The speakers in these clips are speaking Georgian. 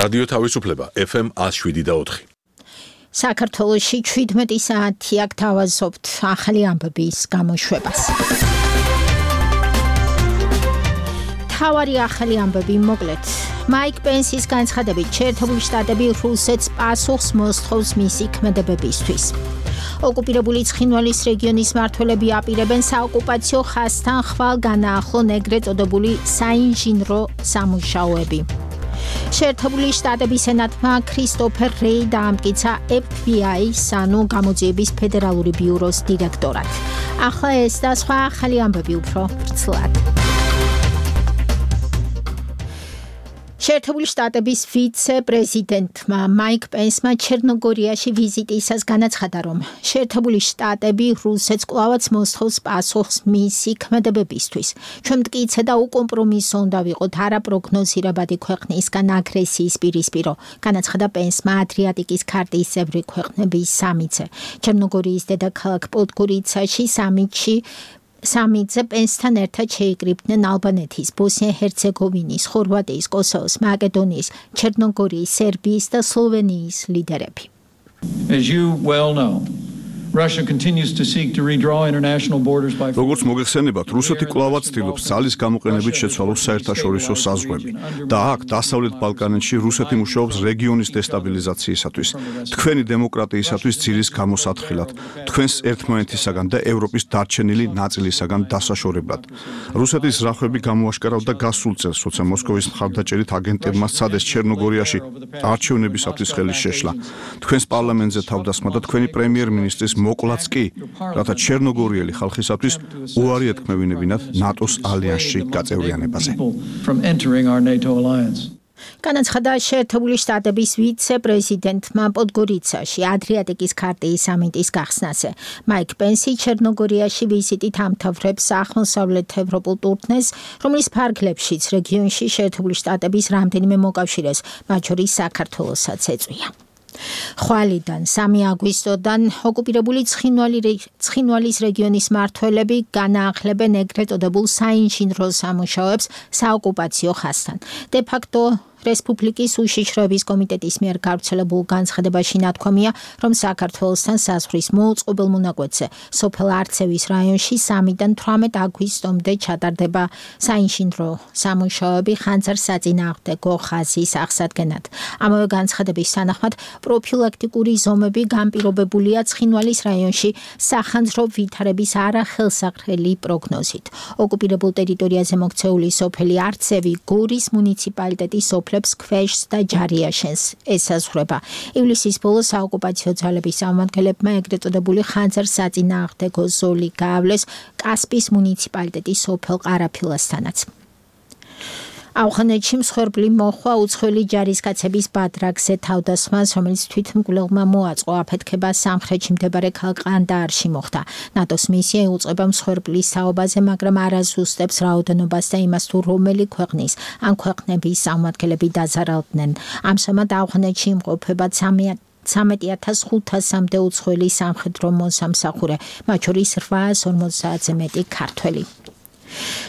რადიო თავისუფლება FM 107.4. საქართველოში 17 საათი აქ თავაზობთ ახალი ამბების გამოშვებას. თავარი ახალი ამბები მოკლედ. მაიკ პენსის განცხადებით შეერთებული შტატები რუსეთს პასუხს მოსთხოვს მისი ქმედებებისთვის. ოკუპირებული ცხინვალის რეგიონის მმართველები აპირებენ საოკუპაციო ხაზთან ხვალ განაახლონ ეგრეთ წოდებული საინჟინრო სამუშაოები. შეერთებული შტატების სენატმა ქრისტოფერ რეი დაამტკიცა FBI-ის ანუ გამოძიების ფედერალური ბიუროს დირექტორად. ახლა ეს და სხვა ახალი ამბები უფრო ვრცლად. შეერთებული შტატების ვიცე-პრეზიდენტმა მაიკ პენსმა ჩერნოგორიაში ვიზიტისას განაცხადა, რომ შეერთებული შტატები რუსეთს კვლავაც მოსთხოვს პასუხს მისი ქმედებებისთვის. ჩვენ მტკიცე და უკომპრომისო უნდა ვიყოთ არაპროგნოზირებადი ქვეყნისგან აგრესიის პირისპირო, განაცხადა პენსმა ადრიატიკის ქარტის წევრი ქვეყნების სამიტზე. ჩერნოგორიის დედაქალაქ პოდგორიცაში სამიტზე პენსთან ერთად შეიკრიბნენ ალბანეთის, ბოსნია-ჰერცეგოვინის, ხორვატიის, კოსოვოს, მაკედონიის, ჩერნოგორიის, სერბიის და სლოვენიის ლიდერები. As you well know, Russia continues to seek to redraw international borders by როგორც მოგეხსენებათ, რუსეთი კვლავაც ცდილობს ძალის გამოყენებით შეცვალოს საერთაშორისო საზღვრები და აქ დასავლეთ ბალკანეთში რუსეთი მუშაობს რეგიონის დესტაბილიზაციისათვის, თქვენი დემოკრატიისათვის ძირის გამოსათხილად, თქვენს ერთმანეთისაგან და ევროპის დარჩენილი ნაწილისაგან დასაშორებლად. რუსეთის ზრახვები გამოაშკარავდა გასულ წელს, როცა მოსკოვის მხარდაჭერით აგენტებმა სცადეს ჩერნოგორიაში არჩევნებისათვის ხელი შეშლა. თქვენს პარლამენტზე თავდასხმა და თქვენი პრემიერ-მინისტრის მოკლაც კი, რათა ჩერნოგორიელი ხალხისათვის უარი ეთქმევინებინათ ნატოს ალიანსში გაწევრიანებაზე. განაცხადა შეერთებული შტატების ვიცე-პრეზიდენტმა პოდგორიცაში ადრიატიკის ქარტის სამიტის გახსნაზე. მაიკ პენსი ჩერნოგორიაში ვიზიტით ამთავრებს აღმოსავლეთ ევროპულ ტურნეს, რომლის ფარგლებშიც რეგიონში შეერთებული შტატების რამდენიმე მოკავშირეს, მათ შორის საქართველოსაც ეწვია. ხვალიდან 3 აგვისტოდან ოკუპირებული ცხინვალის რეგიონის მმართველები განაახლებენ ეგრეთ წოდებულ საინჟინრო სამუშაოებს საოკუპაციო ხაზთან. De facto რესპუბლიკის უშიშროების კომიტეტის მიერ გავრცელებულ განცხადებაში ნათქვამია, რომ საქართველოსთან საზღვრის მოუწყობელ მონაკვეთზე სოფელ არცევის რაიონში 3-დან 18 აგვისტომდე ჩატარდება საინჟინრო სამუშაოები ხანძარ-საწინააღმდეგო ხაზის აღსადგენად. ამავე განცხადების თანახმად პროფილაქტიკური ზომები განპირობებულია ცხინვალის რაიონში სახანძრო ვითარების არახელსაყრელი პროგნოზით. ოკუპირებულ ტერიტორიაზე მოქცეული სოფელი არცევი გორის მუნიციპალიტეტის ქვეშს და ჯარიაშენს ესაზღვრება. ივლისის ბოლოს საოკუპაციო ძალების წარმომადგენლებმა ეგრეთ წოდებული ხანძარ-საწინააღმდეგო ზოლი გაავლეს კასპის მუნიციპალიტეტის სოფელ ყარაფილასთანაც. ავღანეთში მსხვერპლი მოჰყვა უცხოელი ჯარისკაცების ბადრაგზე თავდასხმას, რომელიც თვითმკვლელმა მოაწყო აფეთქება სამხრეთში მდებარე ქალაქ ყანდაარში მოხდა. ნატოს მისია იუწყება მსხვერპლის საუბაზე, მაგრამ არ აზუსტებს რაოდენობას და იმას თუ რომელი ქვეყნის ან ქვეყნების წარმომადგენლები დაზარალდნენ. ამჟამად ავღანეთში იმყოფება 13,500-მდე უცხოელი სამხედრო მოსამსახურე, მათ შორის 850-ზე მეტი ქართველი.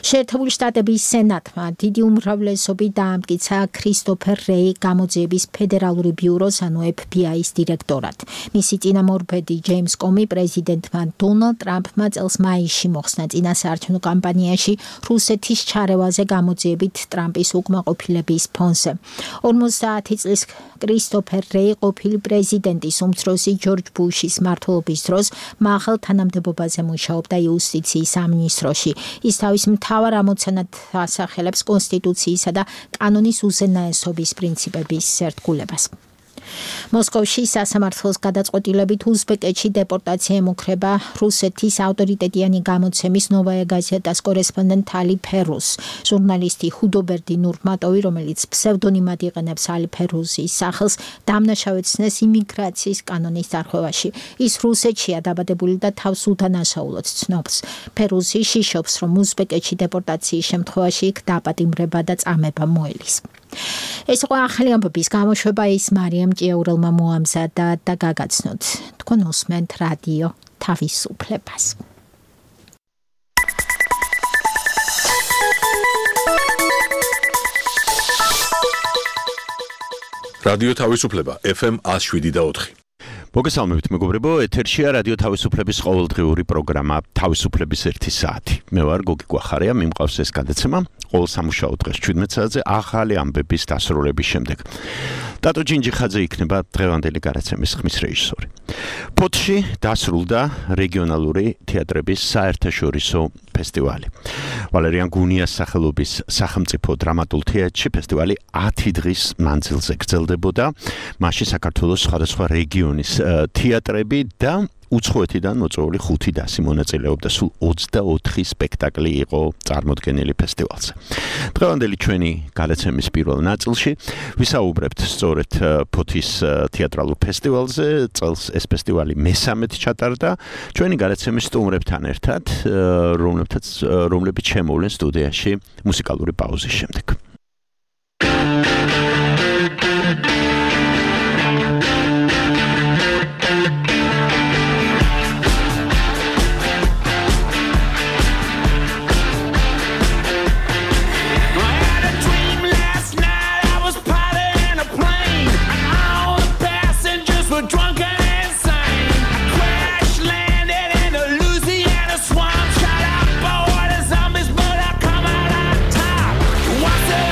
შეერთებული შტატების სენატმა დიდი უმრავლესობით დაამტკიცა ქრისტოფერ რეი გამოძიების ფედერალური ბიუროს ანუ FBI-ის დირექტორად. მისი წინამორბედი ჯეიმს კომი პრეზიდენტმა დონალდ ტრამპმა წელს მაისში მოხსნა წინასაარჩევნო კამპანიაში რუსეთის ჩარევაზე გამოძიებით ტრამპის უკმაყოფილების ფონზე. 50 წლის ქრისტოფერ რეი ყოფილი პრეზიდენტის უმცროსი ჯორჯ ბუშის მმართველობის დროს მაღალ თანამდებობაზე მუშაობდა იუსტიციის სამინისტროში. ის თავის მთავარ ამოცანად ასახელებს კონსტიტუციისა და კანონის უზენაესობის პრინციპების ერთგულებას. მოსკოვში სასამართლოს გადაწყვეტილებით უზბეკეთში დეპორტაცია ემუქრება რუსეთის ავტორიტეტიანი გამოცემის ნოვაია გაზეტას კორესპონდენტ ალი ფერუს. ჟურნალისტი ჰუდობერდი ნურმატოვი, რომელიც ფსევდონიმად იყენებს ალი ფერუსის სახელს, დამნაშავეცნეს იმიგრაციის კანონის დარღვევაში. ის რუსეთშია დაბადებული და თავს უდანაშაულოდ ცნობს. ფერუსი შიშობს, რომ უზბეკეთში დეპორტაციის შემთხვევაში იქ დაპატიმრება და წამება მოელის. ეს იყო ახალი ამბების გამოშვება, ის მარიამ ჭიაურელმა მოამზადა და გაგაცნოთ. თქვენ უსმენთ რადიო თავისუფლებას. რადიო თავისუფლება FM 107.4. მოგესალმებით მეგობრებო, ეთერშია რადიო თავისუფლების ყოველდღიური პროგრამა თავისუფლების 1 საათი. მე ვარ გოგი გვახარია, მიმყავს ეს გადაცემა ყოველ სამუშაო დღეს 17 საათზე ახალი ამბების დასრულების შემდეგ. ტატო ჯინჯიხაძე იქნება დღევანდელი გადაცემის ხმის რეჟისორი. ფოთში დასრულდა რეგიონალური თეატრების საერთაშორისო ფესტივალი. ვალერიან გუნიას სახელობის სახელმწიფო დრამატულ თეატრში ფესტივალი 10 დღის მანძილზე გრძელდებოდა. მასში საქართველოს სხვადასხვა რეგიონის თეატრები და უცხოეთიდან მოწვეული 5 დასი მონაწილეობდა. სულ 24 სპექტაკლი იყო წარმოდგენილი ფესტივალზე. დღევანდელი ჩვენი გადაცემის პირველ ნაწილში ვისაუბრებთ სწორედ ფოთის თეატრალურ ფესტივალზე. წელს ეს ფესტივალი მესამედ ჩატარდა. ჩვენი გადაცემის სტუმრებთან ერთად, რომლებიც შემოვლენ სტუდიაში მუსიკალური პაუზის შემდეგ. What's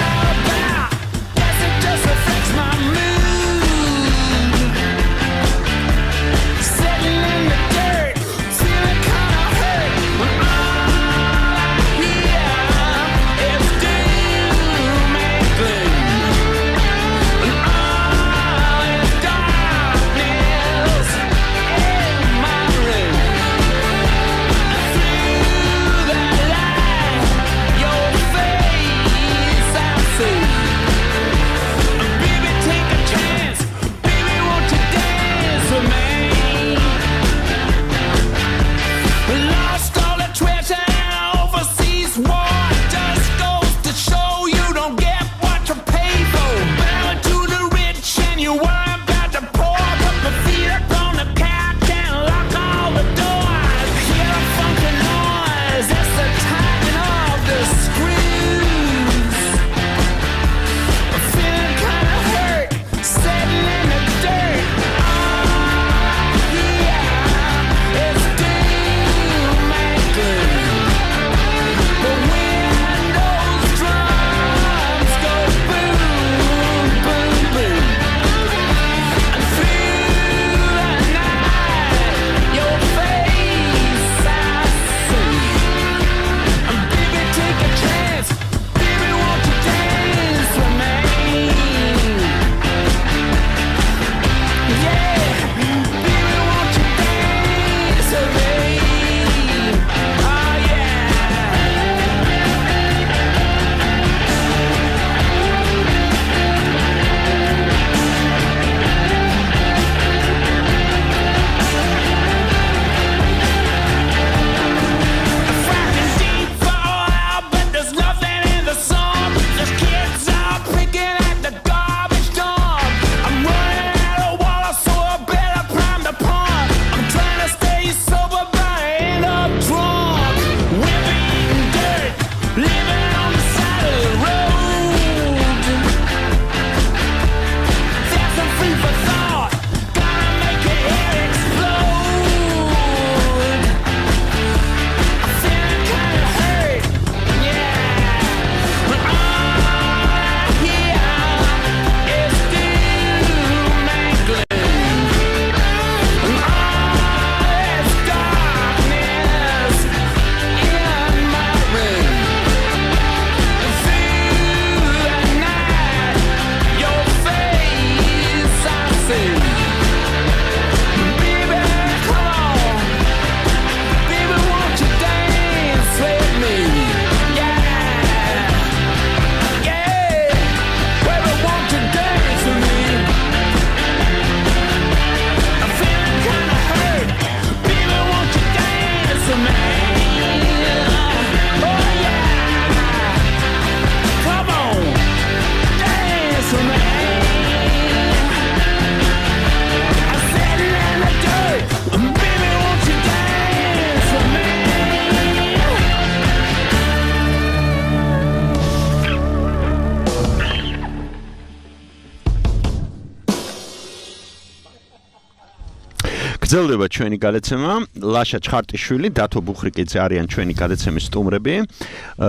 გრძელდება ჩვენი გადაცემა. ლაშა ჩხარტიშვილი, დათო ბუხრიკიძე არიან ჩვენი გადაცემის სტუმრები,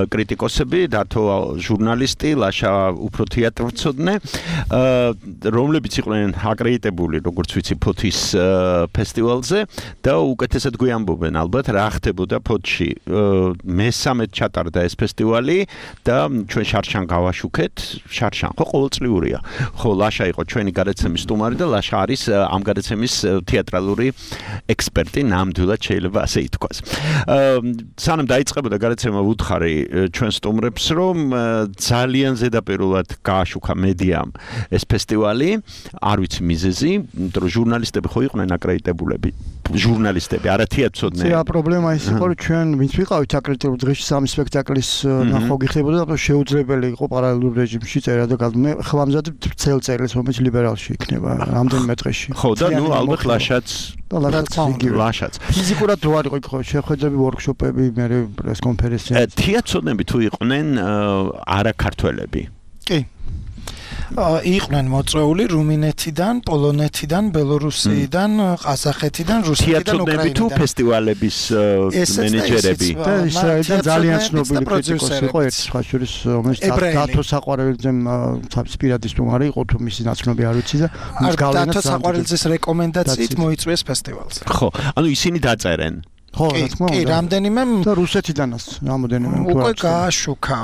კრიტიკოსები, დათო ჟურნალისტი, ლაშა უფრო თეატრმცოდნე, რომლებიც იყვნენ აკრედიტებული, როგორც ვიცი, ფოთის ფესტივალზე და უკეთესად გვიამბობენ ალბათ რა ხდებოდა ფოთში. მესამედ ჩატარდა ეს ფესტივალი და ჩვენ შარშან გავაშუქეთ. შარშან ხო ყოველწლიურია. ხო ლაშა იყო ჩვენი გადაცემის სტუმარი და ლაშა არის ამ გადაცემის თეატრალური ექსპერტი, ნამდვილად შეიძლება ასე ითქვას. სანამ დაიწყებოდა გადაცემა ვუთხარი ჩვენ სტუმრებს, რომ ძალიან ზედაპირულად გააშუქა მედიამ ეს ფესტივალი, არ ვიცი მიზეზი, იმიტომ რომ ჟურნალისტები ხო იყვნენ აკრედიტებულები, ჟურნალისტები, არა თეატრცოდნე. ზეა პრობლემა ის იყო, რომ ჩვენ ვინც ვიყავით აკრედიტებულ დღეში სამი სპექტაკლის ნახვა გიხდებოდა და შეუძლებელი იყო პარალელურ რეჟიმში წერა და მე ხვამზად წელ წერილს რომელიც ლიბერალში იქნება რამდენიმე დღეში. ხო და ნუ ალბათ ლაშაც ლაშაც. ფიზიკურად რო არ იყო იქ შეხვედრები, ვორქშოპები, მე პრეს კონფერენციები. თეატრცოდნები თუ იყვნენ არა ქართველები. კი. იყვნენ მოწვეული რუმინეთიდან, პოლონეთიდან, ბელორუსიიდან, ყაზახეთიდან, რუსეთიდან, უკრაინიდან. თეატრები თუ ფესტივალების მენეჯერები. და ისრაელიდან ძალიან ცნობილი კრიტიკოსი იყო ერთ სხვა შორის, რომელიც დათო საყვარელიძემ სპირადის სტუმარი იყო, თუ მისი ნაცნობი არ ვიცი და დათო საყვარელიძის რეკომენდაციით მოიწვიეს ფესტივალზე. ხო, ანუ ისინი დაწერენ. ხო, რა თქმა უნდა. კი, რამდენიმე და რუსეთიდანაც რამოდენიმე უკვე გააშუქა.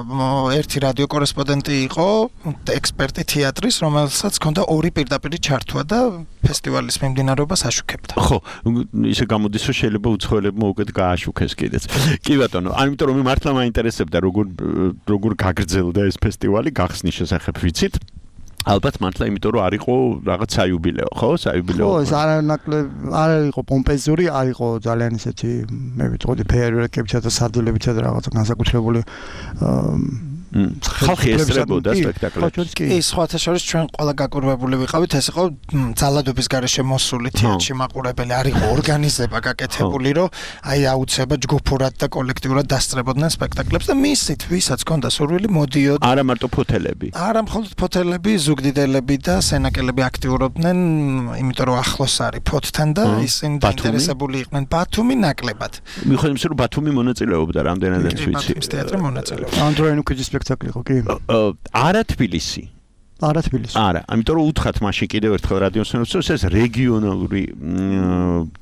ერთი რადიო კორესპონდენტი იყო, ექსპერტი თეატრის, რომელსაც ჰქონდა ორი პირდაპირი ჩართვა და ფესტივალის მიმდინარეობას აშუქებდა. ხო, ისე გამოდის, რომ შეიძლება უცხოელებმა უკეთ გააშუქეს კიდეც. კი ბატონო, ამიტომ რომ მართლა მაინტერესებდა როგორ გაგრძელდა ეს ფესტივალი, გახსნის შესახებ ვიცით. ალბათ მართლა იმიტომ რომ არ იყო რაღაც საიუბილეო, ხო? საიუბილეო. ხო, ეს არ იყო პომპეზური, არ იყო ძალიან ისეთი, მე ვიტყოდი ფეიერვერკებითა და სარდილებითა და რაღაც განსაკუთრებული ხალხი ესწრებოდა სპექტაკლებს. კი, სხვათა შორის ჩვენ ყველა გაკურვებული ვიყავით, ეს იყო ძალადობის გარეშე მოსული თეატრში მაყურებელი, არ იყო ორგანიზება გაკეთებული, რომ აი აუცება ჯგუფურად და კოლექტიურად დასწრებოდნენ სპექტაკლებს და მისით, ვისაც ჰქონდა სურვილი, მოდიოდა. არა მარტო ფოთელები. არა მხოლოდ ფოთელები, ზუგდიდელები და სენაკელები აქტიურობდნენ, იმიტომ რომ ახლოს არის ფოთთან და ისინი დაინტერესებული იყვნენ ბათუმი ნაკლებად. მიუხედავად იმისა, რომ ბათუმი მონაწილეობდა რამდენადაც ვიცი. ბათუმის თეატრი მონაწილეობდა. ანდროენუკიძის სპექტაკლი იყო, კი. არა თბილისი. არა თბილისი. არა, ამიტომ რომ უთხრათ მაშინ კიდევ ერთხელ რადიოსნელებს, ეს რეგიონალური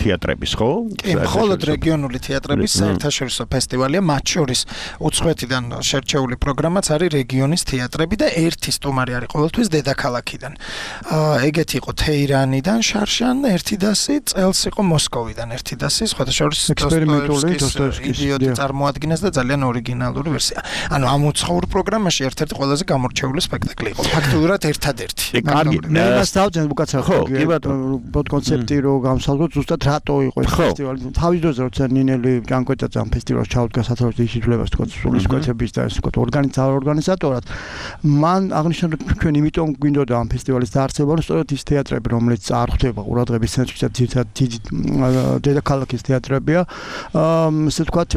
თეატრების, ხო? კი, მხოლოდ რეგიონული თეატრების საერთაშორისო ფესტივალია, მათ შორის უცხოეთიდან შერჩეული პროგრამაც არის რეგიონის თეატრები და ერთი სტუმარი არის ყოველთვის დედაქალაქიდან. ეგეთი იყო თეირანიდან, შარშან, ერთიდასი, წელს იყო მოსკოვიდან, ერთიდასი, სხვათა შორის ექსპერიმენტული იდიოტი წარმოადგენს და ძალიან ორიგინალური ვერსია. ანუ ამ უცხოურ პროგრამაში ერთ-ერთი ყველაზე გამორჩეული სპექტაკლი იყო. ფაქტობრივად ერთადერთი. კარგი, მე მას დავძენ უკაცრავად კონცეფტი რო გამოსალოთ ზუსტად რატო იყო ეს ფესტივალი. თავის დროზე როცა ნინელი ჯანკვეჭაძე ამ ფესტივალს ჩაუდგა სათაურის ისიტვლებას თქო სულისკვეთების და ეს თქო ორგანიზატორად მან აღნიშნა რომ ჩვენ იმიტომ გვინდოდა ამ ფესტივალის დაარსება რომ სწორედ ის თეატრები რომელიც არ ხვდება ყურადღების ცენტრში და დიდი დედაქალაქის თეატრებია ესე ვთქვათ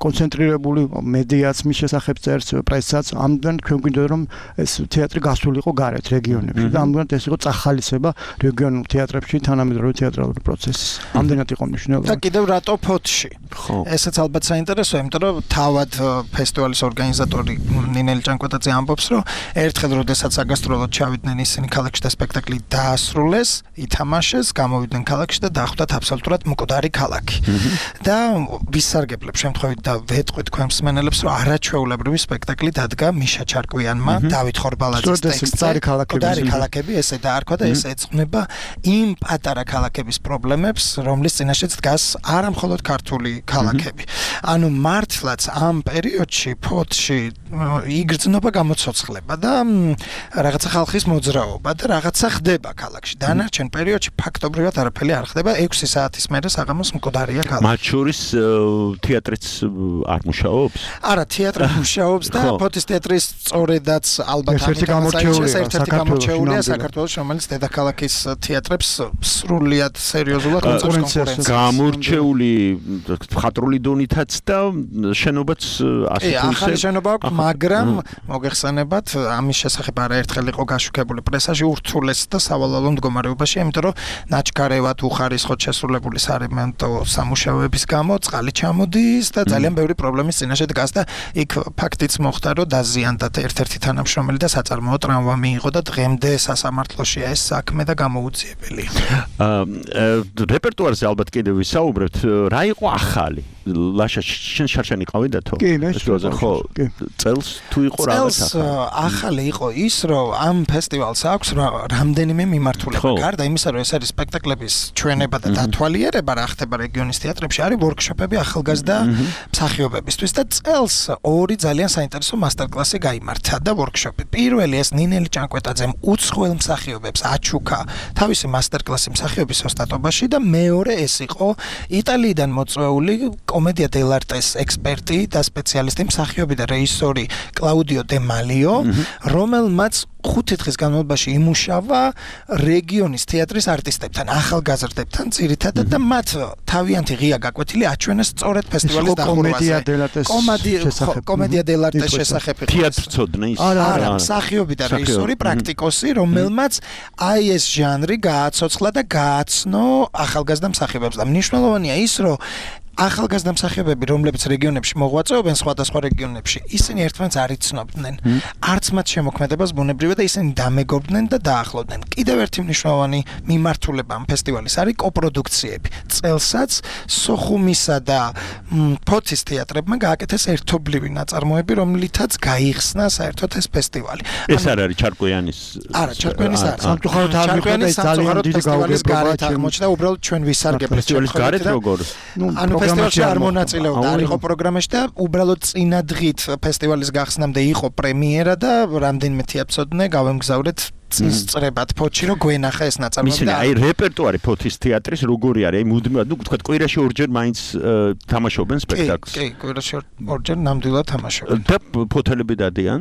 კონცენტრირებული მედიაც მის შესახებ წერს პრესაც ამდენ ჩვენ გვინდოდა რომ ეს თეატრი გასულიყო გარეთ რეგიონებში და ამდენად ეს იყო წახალისება რეგიონულ თეატრებში თანამედროვე თეატრალური პროცესის. ამდენად იყო მნიშვნელოვანი. და კიდევ რატო ფოთში? ესეც ალბათ საინტერესოა, იმიტომ რომ თავად ფესტივალის ორგანიზატორი ნინელი ჭანკვეტაძე ამბობს, რომ ერთხელ როდესაც საგასტროლოდ ჩავიდნენ ისინი ქალაქში და სპექტაკლი დაასრულეს, ითამაშეს, გამოვიდნენ ქალაქში და დახვდათ აბსოლუტურად მკვდარი ქალაქი. და ვისარგებლებ შემთხვევით და ვეტყვით თქვენ მსმენელებს, რომ არაჩვეულებრივი სპექტაკლი დადგა მიშა ჩარკვიანმა, დავით ხორბალაძის მკვდარი ქალაქები ესე დაარქვა და ეს ეძღვნება იმ პატარა ქალაქების პრობლემებს, რომლის წინაშეც დგას არა მხოლოდ ქართული ქალაქები. ანუ მართლაც ამ პერიოდში ფოთში იგრძნობა გამოცოცხლება და რაღაცა ხალხის მოძრაობა და რაღაცა ხდება ქალაქში. დანარჩენ პერიოდში ფაქტობრივად არაფერი არ ხდება. 6 საათის მერე საღამოს მკვდარია ქალაქი. მათ შორის თეატრიც არ მუშაობს? არა, თეატრი მუშაობს და ფოთის თეატრის სწორედაც ალბათ ერთი გამორჩეული საქართველოს საქართველოს რომელიც დედაქალაქის თეატრებს სრულიად სერიოზულად კონკურენციას გამორჩეული მხატვრული დონითაც და შენობაც ასე თუ ისე ახალი შენობა აქვს, მაგრამ მოგეხსენებათ, ამის შესახებ არაერთხელ იყო გაშუქებული პრესაში ურთულეს და სავალალო მდგომარეობაში, იმიტომ რომ ნაჩქარევად უხარისხოდ შესრულებული სარემონტო სამუშაოების გამო წყალი ჩამოდის და ძალიან ბევრი პრობლემის წინაშე დგას და იქ ფაქტიც მოხდა, რომ დაზიანდა ერთ-ერთი თანამშრომელი და საწარმოო ტრავმა მიიღო და დღემდე სასამართლოშია ეს საქმე და გამოუძიებელი. რეპერტუარზე ალბათ კიდევ ვისაუბრებთ, რა იყო ახალი? ლაშა შენ შარშანი ყავიდათო? კი, მე ხო, წელს თუ იყო რაღაც ახალი იყო ის, რომ ამ ფესტივალს აქვს რამდენიმე მიმართულება. გარდა იმისა, რომ ეს არის სპექტაკლების ჩვენება და დათვალიერება, რა ხდება რეგიონის თეატრებში, არის ვორქშოპები ახალგაზრდა მსახიობებისთვის და წელს ორი ძალიან საინტერესო მასტერკლასი გაიმართა და ვორქშოპი. პირველი ეს ნინელი ჭანკვეტაძემ უცხოელ მსახიობებს აჩუქა თავისი მასტერკლასი მსახიობის ოსტატობაში და მეორე ეს იყო იტალიიდან მოწვეული კომედია დელარტეს ექსპერტი და სპეციალისტი მსახიობი და რეჟისორი კლაუდიო დე მალიო, რომელმაც 5 დღის განმავლობაში იმუშავა რეგიონის თეატრის არტისტებთან, ახალგაზრდებთან ძირითადად და მათ თავიანთი ღია გაკვეთილი აჩვენეს სწორედ ფესტივალის დახურვაზე. კომედია დელარტეს შესახებ იყო. თეატრწოდნე ის? არა, მსახიობი და რეჟისორი, პრაქტიკოსი, რომელმაც აი ეს ჟანრი გააცოცხლა და გააცნო ახალგაზრდა მსახიობებს და მნიშვნელოვანია ის, რომ ახალგაზრდა მსახიობები, რომლებიც რეგიონებში მოღვაწეობენ სხვადასხვა რეგიონებში, ისინი ერთმანეთს არ იცნობდნენ. არც მათ შემოქმედებას ბუნებრივია და ისინი დამეგობრდნენ და დაახლოვდნენ. კიდევ ერთი მნიშვნელოვანი მიმართულება ამ ფესტივალის არის კოპროდუქციები. წელსაც სოხუმისა და ფოთის თეატრებმა გააკეთეს ერთობლივი ნაწარმოები, რომლითაც გაიხსნა საერთოდ ეს ფესტივალი. ეს არ არის ჩარკვიანის? არა, ჩარკვიანის არ. სამწუხაროდ არ მიყვა და ძალიან დიდი გაუგებრობა აღმოჩნდა, უბრალოდ ჩვენ ვისარგებლეთ ფესტივალის გარეთ როგორ? ანუ ფესტივალში არ მონაწილეობდა, არ იყო პროგრამაში და უბრალოდ წინა დღით ფესტივალის გახსნამდე იყო პრემიერა და რამდენიმე თეატრწოდნე გავემგზავრეთ წის წრებად ფოთში რომ გვენახა ეს ნაწარმოები და აი რეპერტუარი ფოთის თეატრის როგორი არის? აი მუდმივად, ნუ თქვა კვირაში ორჯერ მაინც თამაშობენ სპექტაკლს. კი, კვირაში ორჯერ ნამდვილად თამაშობენ. და ფოთელები დადიან?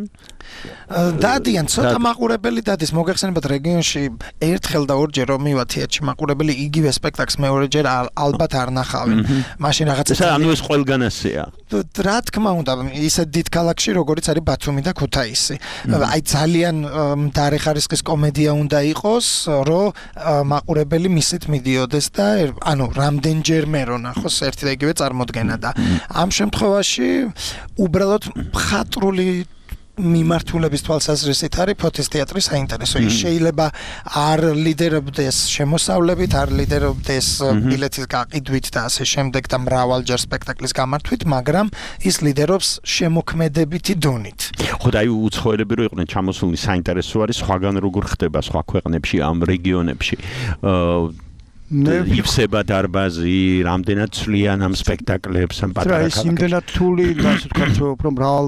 დადიან, ცოტა მაყურებელი დადის. მოგეხსენებათ რეგიონში ერთხელ და ორჯერ რომ მივა თეატრში მაყურებელი იგივე სპექტაკლს მეორეჯერ ალბათ არ ნახავენ. მაშინ რაღაცა ანუ ეს ყველგან ასეა. რა თქმა უნდა, ისეთ დიდ ქალაქში როგორიც არის ბათუმი და ქუთაისი. აი ძალიან დარეხარისხის კომედია უნდა იყოს, რომ მაყურებელი მისით მიდიოდეს და ანუ რამდენჯერმე რო ნახოს ერთი და იგივე წარმოდგენა და ამ შემთხვევაში უბრალოდ მხატვრული მიმართულების თვალსაზრისით არის ფოთის თეატრი საინტერესო. ის შეიძლება არ ლიდერობდეს შემოსავლებით, არ ლიდერობდეს ბილეთის გაყიდვით და ასე შემდეგ და მრავალჯერ სპექტაკლის გამართვით, მაგრამ ის ლიდერობს შემოქმედებითი დონით. ხო და აი უცხოელები რო იყვნენ ჩამოსულნი საინტერესო არის სხვაგან როგორ ხდება სხვა ქვეყნებში ამ რეგიონებში. იფსება დარბაზი, რამდენად ცვლიან ამ სპექტაკლებს, ამ პატარა ქალაქებში. ის იმდენად რთული და ასე ვთქვათ, უფრო მრავალ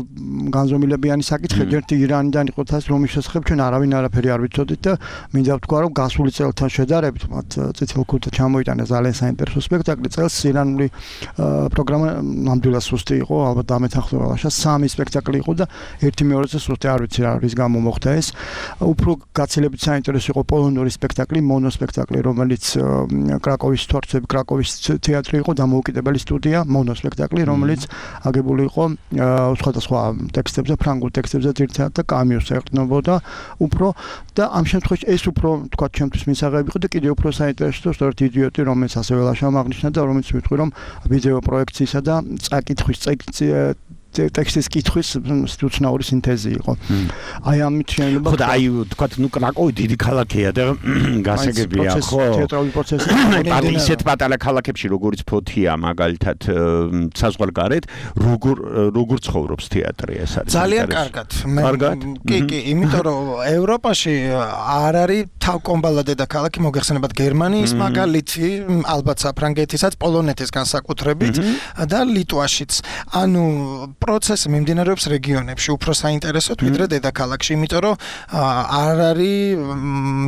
განზომილებიანი საკითხი, ერთი ირანიდან იყო თას, რომის შესახებ ჩვენ არავინ არაფერი არ ვიცოდით და მინდა ვთქვა, რომ გასული წელთან შედარებით, მათ წითელ ქუდზე ჩამოიტანა ძალიან საინტერესო სპექტაკლი. წელს ირანული პროგრამა ნამდვილად სუსტი იყო, ალბათ დამეთანხმება ლაშა 3 სპექტაკლი იყო და ერთი მეორეზე სუსტი არ ვიცი რა რის გამო მოხდა ეს. უფრო გაცილებით საინტერესო იყო პოლონური სპექტაკლი, მონოსპექტაკლი, რომელიც კრაკოვის თორცები, კრაკოვის თეატრი იყო დამოუკიდებელი სტუდია, მონოსპექტაკლი, რომელიც აგებული იყო სხვადასხვა ტექსტებზე, ფრანგულ ტექსტებზე ძირითადად და კამიოს ეყრდნობოდა უფრო და ამ შემთხვევაში ეს უფრო თქვა ჩემთვის მისაღები იყო და კიდევ უფრო საინტერესო სწორედ იდიოტი, რომელიც ასევე ლაშამ აღნიშნა და რომელიც მივიტყვი რომ ვიდეო პროექციისა და წაკითხვის ტექსტის კითხვის უცნაური სინთეზი იყო. აი ამით შეიძლება ხო და აი თქვა ნუ კრაკოვი დიდი ქალაქია და გასაგებია ხო თეატრალური პროცესი ისეთ პატარა ქალაქებში როგორც ფოთია მაგალითად საზღვარგარეთ როგორ ცხოვრობს თეატრი ეს არის ძალიან კარგად. კი, იმიტომ რომ ევროპაში არ არის თავკომბალა დედაქალაქი მოგეხსენებათ გერმანიის მაგალითი, ალბათ საფრანგეთისაც, პოლონეთის განსაკუთრებით და ლიტვაშიც. ანუ პროცესი მიმდინარეობს რეგიონებში, უფრო საინტერესოდ ვიდრე დედაქალაქში, იმიტომ რომ არ არის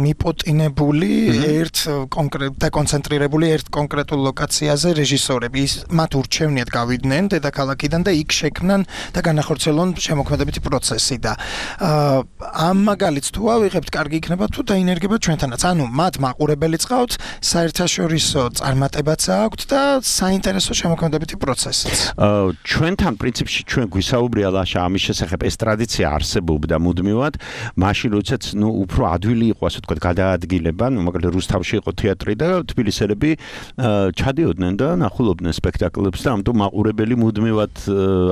მიპოტინებული დაკონცენტრირებული ერთ კონკრეტულ ლოკაციაზე რეჟისორები. მათ ურჩევნიათ გავიდნენ დედაქალაქიდან და იქ შექმნან და განახორციელონ შემოქმედებითი პროცესი და ამ მაგალითს თუ ავიღებთ, კარგი იქნება თუ დაინერგება ჩვენთანაც. ანუ მათ მაყურებელი წავთ, საერთაშორისო წარმატებაც აქვთ და საინტერესო შემოქმედებითი პროცესიც. ჩვენთან პრინციპში ჩვენ გვისაუბრია ლაშა ამის შესახებ, ეს ტრადიცია არსებობდა მუდმივად, მაშინ როდესაც უფრო ადვილი იყო, ასე ვთქვათ, გადაადგილება, მაგალითად რუსთავში იყო თეატრი და თბილისელები ჩადიოდნენ და ნახულობდნენ სპექტაკლებს და ამიტომ მაყურებელი მუდმივად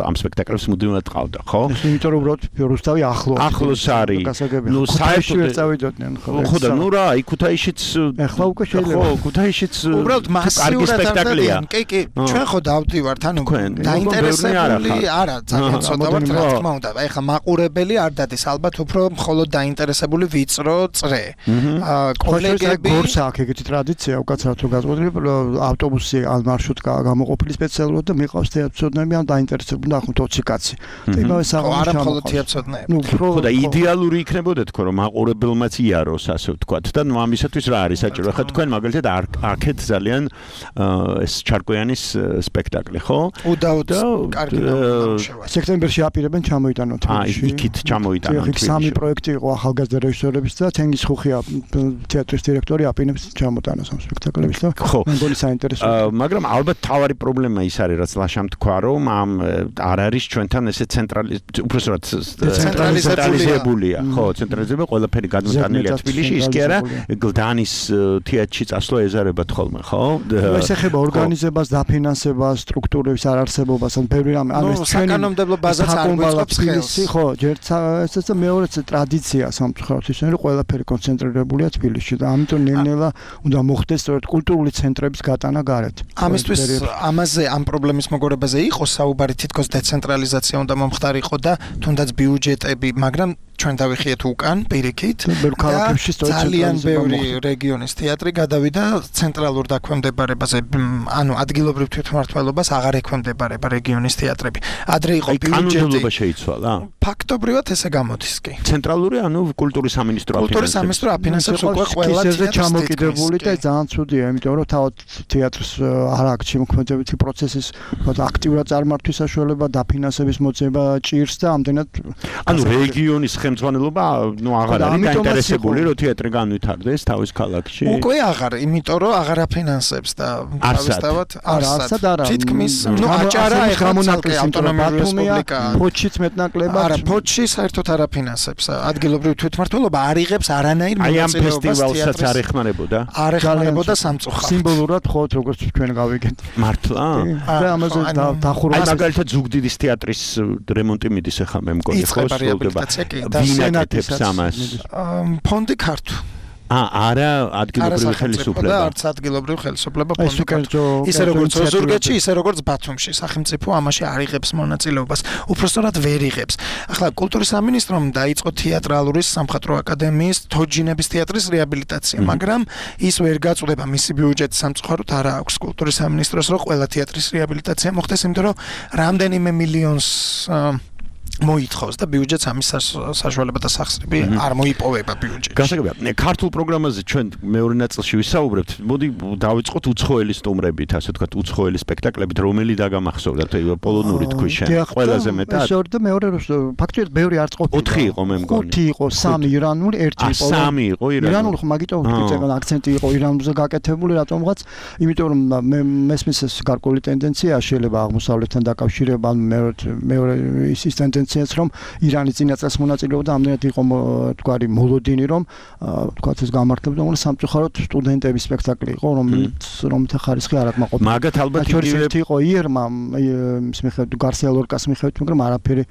ამ სპექტაკლებს მუდმივად ყავდა, ხო? იმიტომ რომ უბრალოდ რუსთავი ახლოს არის. ნუ საერთოდ წავიდოდნენ, ხო? ხო და ნუ რა, იქ ქუთაისშიც ეხლა უკვე შეიძლება. ხო, ქუთაისშიც უბრალოდ მასიურად სპექტაკლია. კი, ჩვენ ხო დავდივართ, ანუ დაინტერესებული არა, ძალიან ცოტა ვართ, რა თქმა უნდა. ეხლა მაყურებელი არ დადის, ალბათ უფრო მხოლოდ დაინტერესებული ვიწრო წრე. კოლეგები გორს აქვს ეგეთი ტრადიცია, უკაცრავად თუ გაზღვიდნენ, ავტობუსი ან მარშრუტკა გამოყოფილი სპეციალურად და მიყავს თეატრწოდნები ან დაინტერესებული ნახოთ 20 კაცი. და იმავე საღამოს არა მხოლოდ თეატრწოდნები. ხო და идеალური იქნებოდა თქო რომ მაყურებელმაც იაროს, ასე ვთქვათ და ნუ ამისათვის რა არის საჭირო? ხა თქვენ მაგალითად აქეთ ძალიან ეს ჩარკვიანის სპექტაკლი, ხო? უდაოდ კარგი ნამუშევარი. სექტემბერში აპირებენ ჩამოიტანონ თბილისში. იქით ჩამოიტანონ. იქ სამი პროექტი იყო ახალგაზრდა რეჟისორების და თენგის ხუხია თეატრის დირექტორი აპირებს ჩამოტანოს ამ სპექტაკლებს და მეგონი საინტერესოა. მაგრამ ალბათ თავარი პრობლემა ის არის, რაც ლაშამ თქვა, რომ ამ არ არის ჩვენთან ესე ცენტრალიზებულია. ხო, ცენტრალიზებული ყველაფერი გადმოტანილია თბილისში, ის კი არა გლდანის თეატრში წასვლა ეზარებათ ხოლმე, ხო? ეს ეხება ორგანიზებას, დაფინანსებას, სტრუქტურების არარსებობას, ან ბევრი რამე. ანუ ეს საკანონმდებლო ბაზაც არ გვეწყობს ხელს. ხო, ესეც მეორეც ტრადიცია სამწუხაროდ ისე, რომ ყველაფერი კონცენტრირებულია თბილისში და ამიტომ ნელ-ნელა უნდა მოხდეს სწორედ კულტურული ცენტრების გატანა გარეთ. ამისთვის ამაზე ამ პრობლემის მოგორებაზე იყო საუბარი, თითქოს დეცენტრალიზაცია უნდა მომხდარიყო და თუნდაც ბიუჯეტები, მაგრამ ჩვენ დავიხიეთ უკან პირიქით ძალიან ბევრი რეგიონის თეატრი გადავიდა ცენტრალურ დაქვემდებარებაზე, ანუ ადგილობრივ თვითმმართველობას აღარ ექვემდებარება რეგიონის თეატრები. ადრე იყო ბიუჯეტი. კანონმდებლობა შეიცვალა. ფაქტობრივად ესე გამოდის კი. ცენტრალური, ანუ კულტურის სამინისტრო აფინანსებს. კულტურის სამინისტრო აფინანსებს უკვე ყველა თეატრს ჩამოკიდებული და ძალიან ცუდია, იმიტომ რომ თავად თეატრს არ აქვს შემოქმედებითი პროცესის აქტიურად წარმართვის საშუალება, დაფინანსების მოძება ჭირს და ამდენად ანუ რეგიონის ხელმძღვანელობა ნუ აღარ არის დაინტერესებული რომ თეატრი განვითარდეს თავის ქალაქში. უკვე აღარ, იმიტომ რომ აღარ აფინანსებს და თავისთავად არა. თითქმის ნუ აჭარა გამონაკლისი ავტონომიური რესპუბლიკა. ფოჩიც მეტნაკლებად. არა, ფოჩი საერთოდ არ აფინანსებს. ადგილობრივი თვითმმართველობა არ იღებს არანაირ მონაწილეობას ფესტივალსაც არ ეხმარებოდა. არ ეხმარებოდა სამწუხაროდ. სიმბოლურად ხო როგორც ჩვენ გავიგეთ. მართლა? და ამაზე დახურვა. აი მაგალითად ზუგდიდის თეატრის რემონტი მიდის ახლა მე მგონი ხო სრულდება. ვინაკეთებს ამას? ფონდი ქართულ. არა ადგილობრივი ხელისუფლება. არც ადგილობრივი ხელისუფლება ფონდი ქართულ. ისე როგორც ზურგეთში, ისე როგორც ბათუმში, სახელმწიფო ამაში არ იღებს მონაწილეობას. უпростоრად ვერ იღებს. ახლა კულტურის სამინისტრომ დაიწყო თეატრალური სამხატვრო აკადემიის თოჯინების თეატრის რეაბილიტაცია, მაგრამ ის ვერ გაწუდება მისი ბიუჯეტი სამწუხაროდ არ აქვს კულტურის სამინისტროს, რომ ყველა თეატრის რეაბილიტაცია მოხდეს, იმიტომ რომ რამდენიმე მილიონს მოითხოვს და ბიუჯეტს ამის საშუალება და სახსრები არ მოიპოვება ბიუჯეტში. გასაგებია, ქართულ პროგრამაზე ჩვენ მეორე ნაწილში ვისაუბრებთ. მოდი დავიწყოთ უცხოელი სტუმრებით, ასე ვთქვათ, უცხოელი სპექტაკლებით, რომელი დაგამახსოვრდათ, პოლონური თქვი შენ. ყველაზე მეტად. ეს და მეორე ფაქტობრივად ბევრი არც ყოფილა. 4 იყო მე მგონი. 5 იყო, 3 ირანული, 1 იყო. 3 იყო ირანული, ხო მაგიტო ვთქვი, აქცენტი იყო ირანულზე გაკეთებული, რატომღაც, იმიტომ რომ მესმის ეს გარკვეული ტენდენცია შეიძლება აღმოსავლეთთან დაკავშირება, მეორე ის ტენდენცია რომ ირანი წინაწელს მონაწილეობდა, ამდენად იყო თქვარი მოლოდინი, რომ თქვათ ეს გამართლებდა, მაგრამ სამწუხაროდ სტუდენტების სპექტაკლი იყო, რომელთა ხარისხი არ აკმაყოფილა. მაგათ ალბათ იგივე იყო იერმა, ის მიხედვით გარსია ლორკას მიხედვით, მაგრამ არაფერი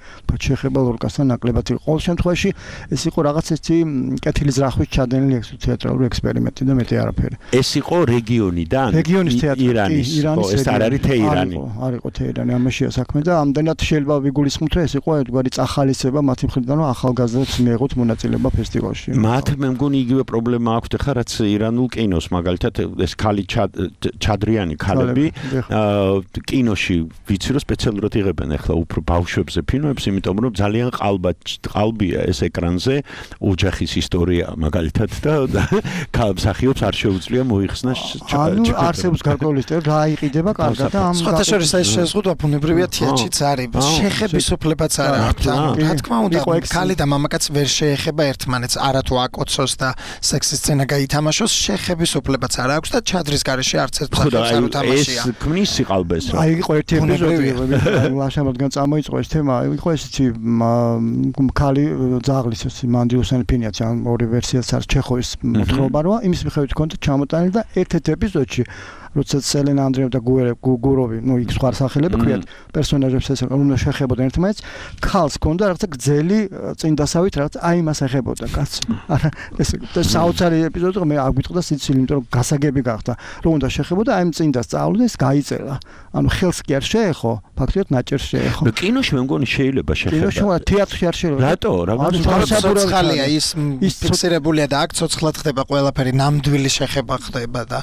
შეეხება ლორკასთან ნაკლებად იყო. ყოველ შემთხვევაში ეს იყო რაღაც ერთი კეთილი ზრახვის ჩადენილი თეატრალური ექსპერიმენტი და მეტი არაფერი. ეს იყო რეგიონიდან? რეგიონის თეატრი. ირანის. ეს არ არის თეირანი. არ იყო თეირანი, ამაშია საქმე და ამდენად შეიძლება ვიგულისხმოთ, რომ ეს იყო ერთგვარი წახალისება მათი მხრიდან, რომ ახალგაზრდებს მიეღოთ მონაწილეობა ფესტივალში. მათ მე მგონი იგივე პრობლემა აქვთ ხა რაც ირანულ კინოს მაგალითად ეს ხალი ჩადრიანი ქალები კინოში ვიცი რომ სპეციალურად იღებენ ახლა უფრო ბავშვებზე ფილმებს, იმიტომ რომ ძალიან ყალბია ეს ეკრანზე ოჯახის ისტორია მაგალითად და მსახიობს არ შეუძლია მოიხსნა ანუ არსებობს გარკვეული სტერეოტიპი რა იყიდება კარგად და ამ სხვათა შორის ეს შეზღუდვა ბუნებრივია თეატრშიც არის შეხების უფლებაც არ აქვს ანუ რა თქმა უნდა ქალი და მამაკაც ვერ შეეხება ერთმანეთს არათუ აკოცოს და სექსის სცენა გაითამაშოს შეხების უფლებაც არ აქვს და ჩადრის გარეშე არც ერთ მსახიობს არ უთამაშია ეს ქმნის სიყალბეს რა აი იყო ერთი ეპიზოდი ლაშამოდგან წამოიწყო ეს თემა იყო ესეთი ქალი ძაღლის მანდილოსანი ფინიაცი ან ორი ვერსიაც არის ჩეხოვის მოთხრობა როა იმის მიხედვით კონტ ჩამოტანილი და ერთ-ერთ ეპიზოდში როდესაც ელენა ანდრეევ და გუროვი, იქ სხვა სახელები ქვიათ პერსონაჟებს ეს უნდა შეხებოდნენ ერთმანეთს, ქალს ჰქონდა რაღაცა გძელი წინდასავით რაღაც აი მას ეხებოდა კაცი. არა ეს საოცარი ეპიზოდი მე აგვიტყდა სიცილი, იმიტომ რომ გასაგები გახდა, რომ უნდა შეხებოდა აი წინდას წავლდა ეს გაიწერა. ანუ ხელს კი არ შეეხო, ფაქტიურად ნაჭერს შეეხო. და კინოში მე მგონი შეიძლება შეხება. კინოში თეატრში არ შეიძლება. რატო? ცოცხალია ის ფიქსირებულია და აქ ცოცხლად ხდება ყველაფერი, ნამდვილი შეხება ხდება და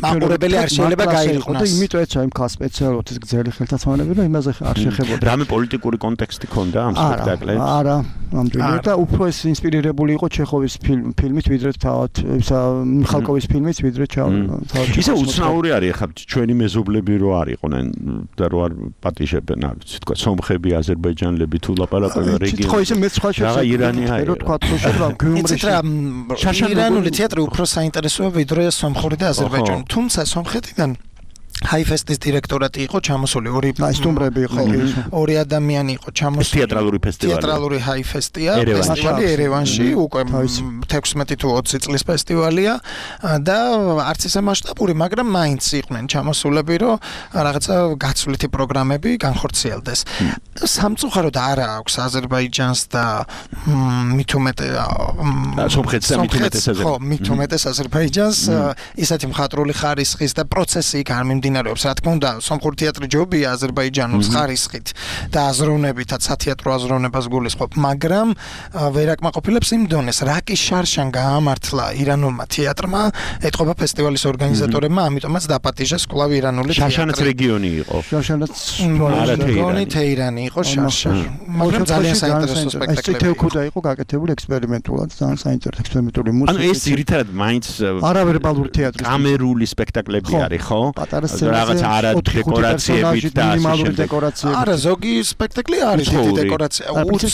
მაყურებელი არ შეიძლება გაიყვანოს. იმიტომ ეცა იმ ქალს სპეციალურად ეს გძელი ხელთათმანები რომ იმაზე არ შეხებოდა. რამე პოლიტიკური კონტექსტი ქონდა ამ სპექტაკლებს? არა, ნამდვილად და უფრო ეს ინსპირირებული იყო ჩეხოვის ფილმით ვიდრე თავად ისა მიხალკოვის ფილმით ვიდრე თავად. ისე უცნაური არის ახლა ჩვენი მეზობლები რო არ იყვნენ და რო არ პატიჟებენ, ასე თქვა, სომხები, აზერბაიჯანელები თუ ლაპარაკობენ რეგიონში. ხო ისე მეც სხვა შეიძლება ირანი არის. რო თქვა თუ შეიძლება გიუმრიში. ირანული თეატრი უფრო საინტერესოა ვიდრე სომხური და აზერბაიჯანული. თუმცა სომხეთიდან ჰაიფესტის დირექტორატი იყო ჩამოსული სტუმრები იყო ორი ადამიანი იყო ჩამოსული თეატრალური ფესტივალი თეატრალური ჰაიფესტია ფესტივალი ერევანში უკვე 16 თუ 20 წლის ფესტივალია და არც ისე მასშტაბური მაგრამ მაინც იყვნენ ჩამოსულები რომ რაღაცა გაცვლითი პროგრამები განხორციელდეს სამწუხაროდ არა აქვს აზერბაიჯანს და მithumetes სომხეთს და მithumetes აზერბაიჯანს ისეთი მხატვრული ხარისხის და პროცესი იქ არ მიმდინარეობს რა თქმა უნდა სომხური თეატრი ჯობია აზერბაიჯანულს ხარისხით და აზროვნებითაც სათეატრო აზროვნებას გულისხმობ მაგრამ ვერ აკმაყოფილებს იმ დონეს რაკის შარშან გაამართლა ირანულმა თეატრმა ეთყობა ფესტივალის ორგანიზატორებმა ამიტომაც დაპატიჟეს კვლავ ირანული თეატრი შარშანაც რეგიონი იყო შარშანაც რეგიონი თეირანი იყო შარშა მაგრამ ძალიან საინტერესო სპექტაკლი ეს თექუდა იყო გაკეთებული ექსპერიმენტულად ძალიან საინტერესო ექსპერიმენტული მუსიკა ანუ ეს ძირითადად მაინც არავერბალური თეატრი კამერული სპექტაკლები არის ხო პატარა რაღაც არა დეკორაციებით და მინიმალური დეკორაციები არა ზოგი სპექტაკლი არის დიდი დეკორაცია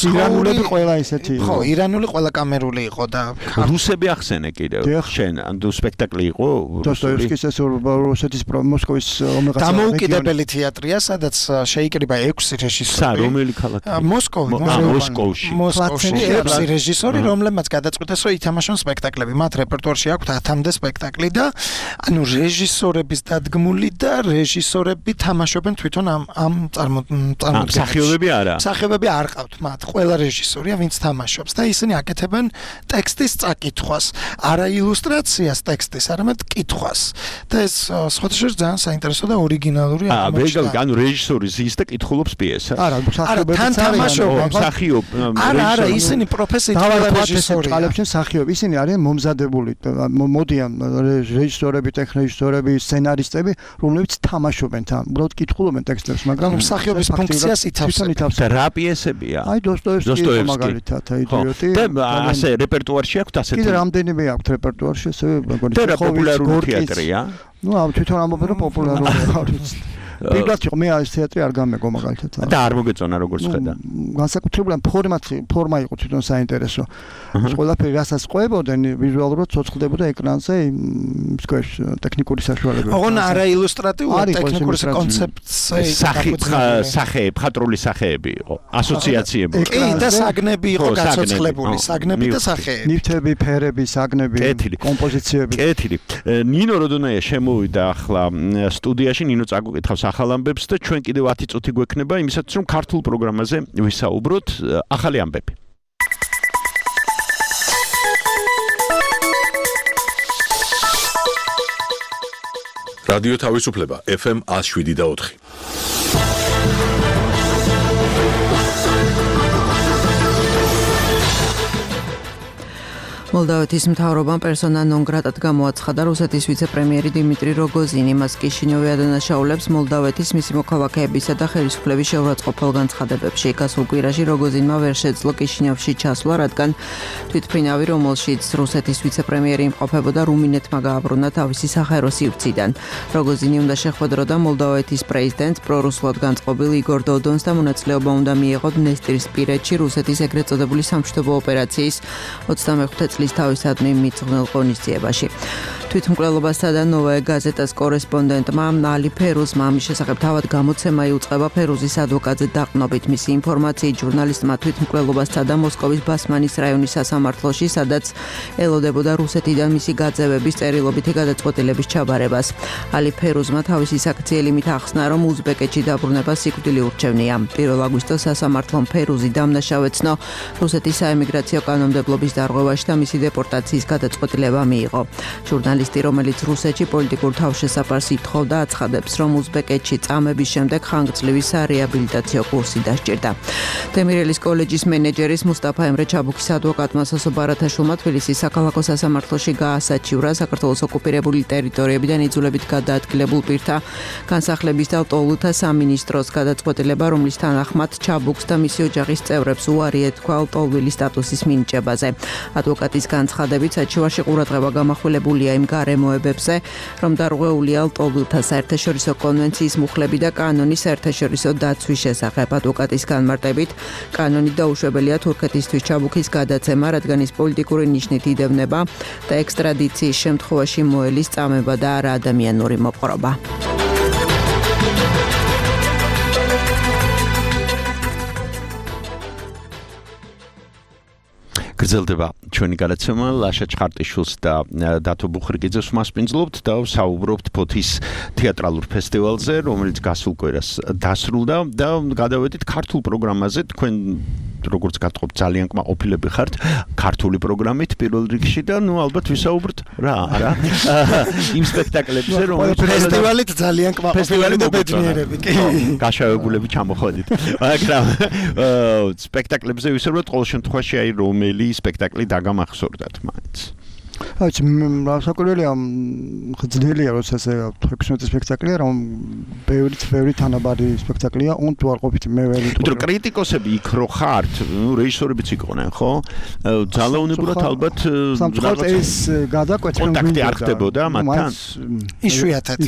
ირანულები ყველა ისეთი ხო ირანული ყველა კამერული იყო და რუსები ახსენე კიდევ შენ ანუ სპექტაკლი იყო დოსტოევსკის ეს რუსეთის მოსკოვის ომღაც დამოუკიდებელი თეატრია სადაც შეიკრიბა 6 რეჟისორი რომელი ქალაქი მოსკოვში 6 რეჟისორი რომლებმაც გადაწყვიტეს რომ ითამაშონ სპექტაკლები მათ რეპერტუარში აქვთ 10-მდე სპექტაკლი და ანუ რეჟისორების დადგმული და რეჟისორები თამაშობენ თვითონ ამ წარმოდგენებში. მსახიობები არა. მსახიობები არ ყავთ მათ. ყველა რეჟისორია, ვინც თამაშობს და ისინი აკეთებენ ტექსტის წაკითხვას. არა ილუსტრაციას ტექსტის, არამედ კითხვას. და ეს სხვადასხვა ძალიან საინტერესო და ორიგინალური აღმოჩნდა. ანუ რეჟისორი ზის და კითხულობს პიესას. არა, მსახიობები თან თამაშობენ. არა, ისინი პროფესიით რეჟისორი. ყალებში მსახიობები, ისინი არიან მომზადებული. მოდიან რეჟისორები, ტექნიჟისორები, სცენარისტები, რომლებიც თამაშობენ თან, უბრალოდ კითხულობენ ტექსტებს, მაგრამ მსახიობის ფუნქციას ითავსებენ. და რა პიესებია? აი დოსტოევსკი მაგალითად, აიდიოტი. და ასე რეპერტუარში აქვს ასეთი. კიდე რამდენიმე აქვს რეპერტუარში, ესე მეგონი. და პოპულარული თეატრია. ნუ თვითონ ამბობენ რომ პოპულარულია არის. პირველად მე ეს თეატრი არ გამეგო მაგალითად. და არ მოგეწონა როგორც ხედა. განსაკუთრებულად ფორმა იყო თვითონ საინტერესო. ყველაფერი რასაც ყვებოდნენ ვიზუალურად ცოცხლდებოდა ეკრანზე მსქვერპ ტექნიკური საშუალებები. ოღონ არა ილუსტრატიული ტექნიკური კონცეფცია. სახე, მხატვრული სახეები იყო, ასოციაციები. კი და საგნები იყო გაცოცხლებული, საგნები და სახეები. ნივთები, ფერები, საგნები, კომპოზიციები. კეთილი. ნინო როდონაია შემოვიდა ახლა სტუდიაში, ნინო წაგუკითხავს ახალ ამბებს და ჩვენ კიდევ 10 წუთი გვექნება იმისათვის რომ ქართულ პროგრამაზე ვისაუბროთ ახალი ამბები. რადიო თავისუფლება FM 107.4 მოლდავეთის მთავრობამ პერსონა ნონ გრატად გამოაცხადა რუსეთის ვიცე-პრემიერი დიმიტრი როგოზინი. მას კიშინიოვი ადანაშაულებს მოლდავეთის მისი მოქალაქეებისა და ხელისუფლების შეურაცხყოფელ განცხადებებში. გასულ კვირაში როგოზინმა ვერ შეძლო კიშინიოვში ჩასვლა, რადგან თვითმფრინავი, რომელშიც რუსეთის ვიცე-პრემიერი იმყოფებოდა, რუმინეთმა გააბრუნა თავისი სახელო სივრციდან. როგოზინი უნდა შეხვედროდა მოლდავეთის პრეზიდენტს პრორუსულად განწყობილ იგორ დოდონს და მონაწილეობა უნდა მიეღო დნესტრისპირეთში რუსეთის ეგრეთ წოდებული სამშვიდობო ოპერაციის 25 წლის თავისადმი მიძღვნილ ღონისძიებაში. თვითმკვლელობასა და ნოვაე გაზეტას კორესპონდენტმა ალი ფერუზმა ამის შესახებ თავად გამოცემა იუწყება ფერუზის ადვოკატზე დაყრდნობით. მისი ინფორმაციით ჟურნალისტმა თვითმკვლელობასა და მოსკოვის ბასმანის რაიონის სასამართლოში, სადაც ელოდებოდა რუსეთიდან მისი გაძევების წერილობითი გადაწყვეტილების ჩაბარებას. ალი ფერუზმა თავისი საქციელი მით ახსნა, რომ უზბეკეთში დაბრუნება სიკვდილი ურჩევნია. 1 აგვისტოს სასამართლომ ფერუზი დამნაშავეცნო რუსეთის საემიგრაციო კანონმდებლობის დარღვევაში და მისი დეპორტაციის გადაწყვეტილება მიიღო. ჟურნალისტი, რომელიც რუსეთში პოლიტიკურ თავშესაფარს ითხოვდა, აცხადებს, რომ უზბეკეთში წამების შემდეგ ხანგრძლივი სარეაბილიტაციო კურსი დასჭირდა. დემირელის კოლეჯის მენეჯერის მუსტაფა ემრე ჩაბუქის ადვოკატმა სასო ბარათაშვილმა თბილისის საქალაქო სასამართლოში გაასაჩივრა საქართველოს ოკუპირებული ტერიტორიებიდან იძულებით გადაადგილებულ პირთა განსახლების და ლტოლვილთა სამინისტროს გადაწყვეტილება, რომლის თანახმად ჩაბუქს და მისი ოჯახის წევრებს უარი ეთქვა ლტოლვილის სტატუსის მინიჭებაზე. ადვოკატის განცხადებით, საჩივარში ყურადღება გამახვილებულია იმ გარემოებებზე, რომ დარღვეულია ლტოლვილთა საერთაშორისო კონვენციის მუხლები და კანონის საერთაშორისო დაცვის შესახებ. ადვოკატის განმარტებით, კანონი დაუშვებელია თურქეთისთვის ჩაბუქის გადაცემა, რადგან ის პოლიტიკური ნიშნით იდევნება და ექსტრადიციის შემთხვევაში მოელის წამება და არა ადამიანური მოპყრობა. გრძელდება ჩვენი გადაცემა ლაშა ჩხარტიშვილს და დათო ბუხრიკიძეს მასპინძლობთ და საუბრობთ ფოთის თეატრალურ ფესტივალზე, რომელიც გასულ კვირას დასრულდა და გადავედით ქართულ პროგრამაზე. თქვენ როგორც გატყობთ ძალიან კმაყოფილები ხართ ქართული პროგრამით პირველ რიგში და ალბათ ვისაუბრთ რა იმ სპექტაკლებზე, რომელიც ფესტივალით ძალიან კმაყოფილები და ბედნიერები. გაშავებულები ჩამოხვედით. მაგრამ სპექტაკლებზე ვისაუბროთ ყოველ შემთხვევაში აი რომელი სპექტაკლი დაგამახსოვრდათ მაინც. აჩ საკურველია ხძნელია როცა ესე 16 სპექტაკლია რომ ბევრი თანაბარი სპექტაკლია on თუ არ ყოფით მე ვერ ვიტყვი. იმიტომ რომ კრიტიკოსები იქ რო ხართ, რეჟისორებიც იყვნენ, ხო? ძალაუნებურად ალბათ სამწუხაროდ ეს გადაკვეთა კონტაქტი არ ხდებოდა მათთან. იშვიათად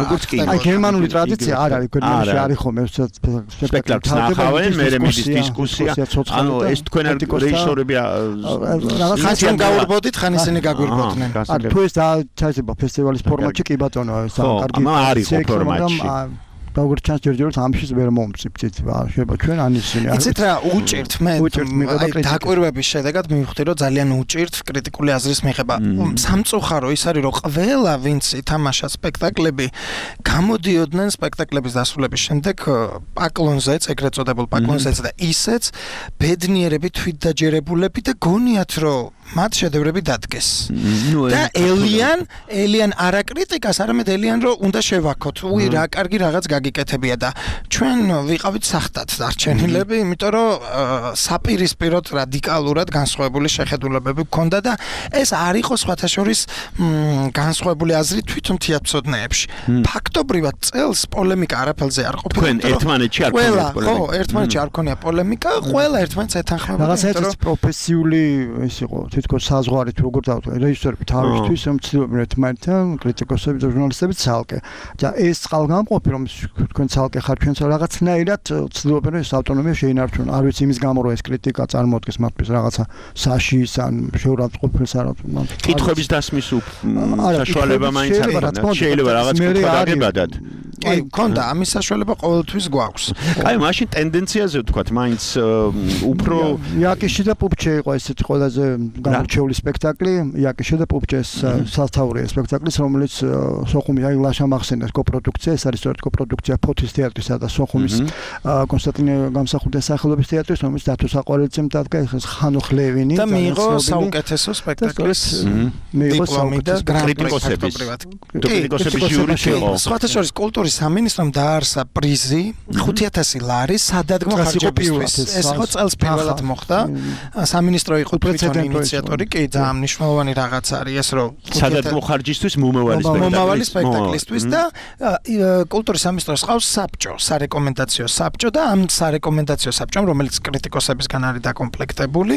როგორც კი. აი გერმანული ტრადიცია არ არის, გერმანიაში არის ხოლმე სპექტაკლს ნახავენ, მე მიდის დისკუსია. ანუ ეს თქვენ რეჟისორები ხან გაურბოდით, ხან ისინი გაგვირბოდნენ. თუ ეს დააჩაისება ფესტივალის ფორმატში, კი ბატონო, საკარგი. არის ფორმატში. როგორც ჩანს ჯერჯერობით ამშიც ვერ მომწიფდით, შეიძლება ჩვენ ანიშნე. იცით რა, უჭირთ მე დაკვირვების შედეგად მივხვდი, რომ ძალიან უჭირთ კრიტიკული აზრის მიღება. სამწუხარო ის არის, რომ ყველა ვინც ითამაშა სპექტაკლები, გამოდიოდნენ სპექტაკლების დასრულების შემდეგ პაკლონზეც, ეგრეთ წოდებულ პაკლონზეც და ისეც ბედნიერები, თვითდაჯერებულები და გონიათ, რომ მათ შედევრები დადგეს. და ელიან არა კრიტიკას, არამედ ელიან რომ უნდა შევაქოთ. უი რა კარგი რაღაც გაგიკეთებია და ჩვენ ვიყავით სახტად დარჩენილები, იმიტომ რომ საპირისპიროდ რადიკალურად განსხვავებული შეხედულებები გქონდა და ეს არ იყო სხვათა შორის განსხვავებული აზრი თვითონ თეატროსნეებში. ფაქტობრივად წელს პოლემიკა არაფერზე არ ყოფილა. თქვენ ერთმანეთში არ გქონია პოლემიკა. ხო, ერთმანეთში არ გქონია პოლემიკა, ყველა ერთმანეთს ეთანხმებოდა. რაღაცა პროფესიული ის იყო თითქოს საზღვარი თუ როგორ დავთქვა რეჟისორები თავისთვის ცდილობენ ერთმანეთთან კრიტიკოსები და ჟურნალისტები ცალკე და ეს წყალგამყოფი რომ თქვენ ცალკე ხართ ჩვენც რაღაცნაირად ცდილობენ ეს ავტონომია შეინარჩუნონ არ ვიცი იმის გამო რომ ეს კრიტიკა წარმოადგენს მათთვის რაღაცა საშიშს ან შეურაცხყოფილს არ კითხვების დასმის საშუალება მაინც არ აქვს შეიძლება რაღაც კითხვა დაგებადათ კი გქონდა ამის საშუალება ყოველთვის გვაქვს აი მაშინ ტენდენციაზე ვთქვათ მაინც უფრო იაკიში და პუპჩე იყო ესეთი ყველაზე გამორჩეული სპექტაკლი იაკიშე და პუპჭეს სათაურია სპექტაკლის რომელიც სოხუმის აი ლაშა მახსენეს კოპროდუქცია ეს არის სწორედ კოპროდუქცია ფოთის თეატრისა და სოხუმის კონსტანტინე გამსახურდიას სახელობის თეატრის რომელიც დათო საყვარელიძემ დადგა ხანოხ ლევინი და მიიღო საუკეთესო სპექტაკლის დიპლომი და კრიტიკოსების ჟიური იყო. სხვათა შორის კულტურის სამინისტრომ დაარსა პრიზი 5000 ლარი სადადგმო ხარჯებისთვის. ეს ხო წელს პირველად მოხდა. სამინისტრო იყო თვითონ ინიციატორი, კი ძალიან მნიშვნელოვანი რაღაც არის ეს რომ სადადგმო ხარჯისთვის მომავალი სპექტაკლისთვის და კულტურის სამინისტროს ყავს საბჭო, სარეკომენდაციო საბჭო და ამ სარეკომენდაციო საბჭომ რომელიც კრიტიკოსებისგან არის დაკომპლექტებული,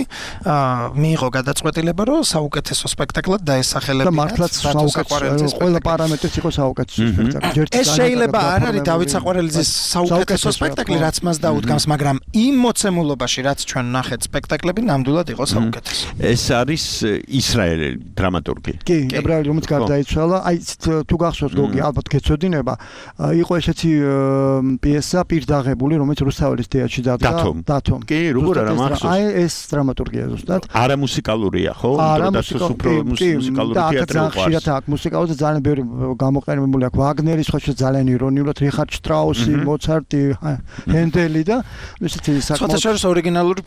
მიიღო გადაწყვეტილება რომ საუკეთესო სპექტაკლად დაესახელებინათ. და მართლაც საუკეთესო ყველა პარამეტრით იყო საუკეთესო სპექტაკლი. ეს შეიძლება არ არის დავით საყვარელიძის საუკეთესო სპექტაკლი, რაც მას დაუდგამს, მაგრამ იმ მოცემულობაში, რაც ჩვენ ნახეთ სპექტაკლები, ნამდვილად იყო საუკეთესო. ეს არის ისრაელელი დრამატურგი. კი, ებრაელი რომელიც გარდაიცვალა, აი თუ გახსოვთ გოგი, ალბათ გეცოდინება, იყო ესეთი პიესა პირდაღებული, რომელიც რუსთაველის თეატრში დადგა. დათომ. კი, როგორ არა მახსოვს. აი ეს დრამატურგია ზუსტად. არა მუსიკალურია, ხო? არა უფრო მუსიკალური თეატრი აქვს. ხშირად აქვს მუსიკალური და ძალიან ბევრი გამოყენებული აქვს. ვაგნერის ხო ძალიან ირონიულად, რიხარდ შტრაუსი, მოცარტი, ჰენდელი და ესეთი საკმაოდ შორის ორიგინალური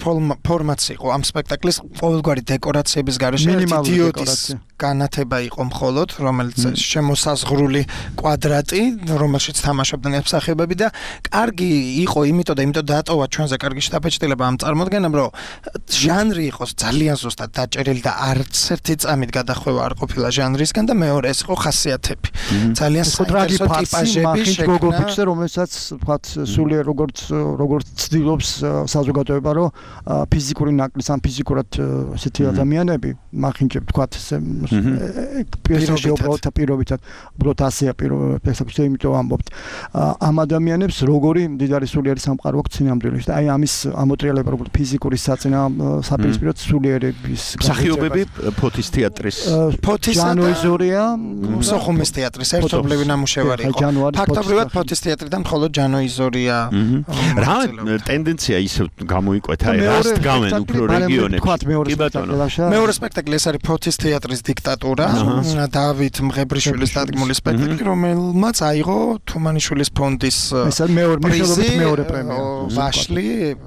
ფორმაცი იყო ამ სპექტაკლის ყოველგვარი დეკორაციების გარეშე დიოდის განათება იყო მხოლოდ, რომელიც შემოსაზღვრული კვადრატი, რომელშიც თამაშობდნენ მსახიობები და კარგი იყო იმიტომ დატოვა ჩვენზე კარგი შთაბეჭდილება ამ წარმოდგენამ, რომ ჟანრი იყოს ძალიან ზუსტად დაჭერილი და არც ერთი წამით გადახვევა არ ყოფილა ჟანრისგან და მეორე ეს იყო ხასიათები. ძალიან საინტერესო ტიპაჟები შექმნა, რომელსაც ვთქვათ სულიერ როგორც ცდილობს საზოგადოება, რომ ფიზიკური ნაკლის ან ფიზიკურად ესეთი ადამიანები მახინჯებ ვთქვათ პირობითად უბრალოდ ასეა პირობითად იმიტომ ამბობთ ამ ადამიანებს როგორი მდიდარი სულიერი სამყარო აქვს წინამძღოლში და აი ამის ამოტრიალება როგორც ფიზიკური საპირისპიროდ სულიერების მსახიობები ფოთის თეატრის ჯანოიზორია სოხუმის თეატრის ერთობლივი ნამუშევარი იყო ფაქტობრივად ფოთის თეატრიდან მხოლოდ ჯანოიზორია რა ტენდენცია ისე გამოიკვეთა რასთ გამენ უფრო რეგიონებში მეორე სპექტაკლი ეს არის ფოთის თეატრის დიქტატურა დავით მღებრიშვილის დადგმული სპექტაკლი რომელმაც აიღო თუმანიშვილის ფონდის მეორე პრემია ვაშლი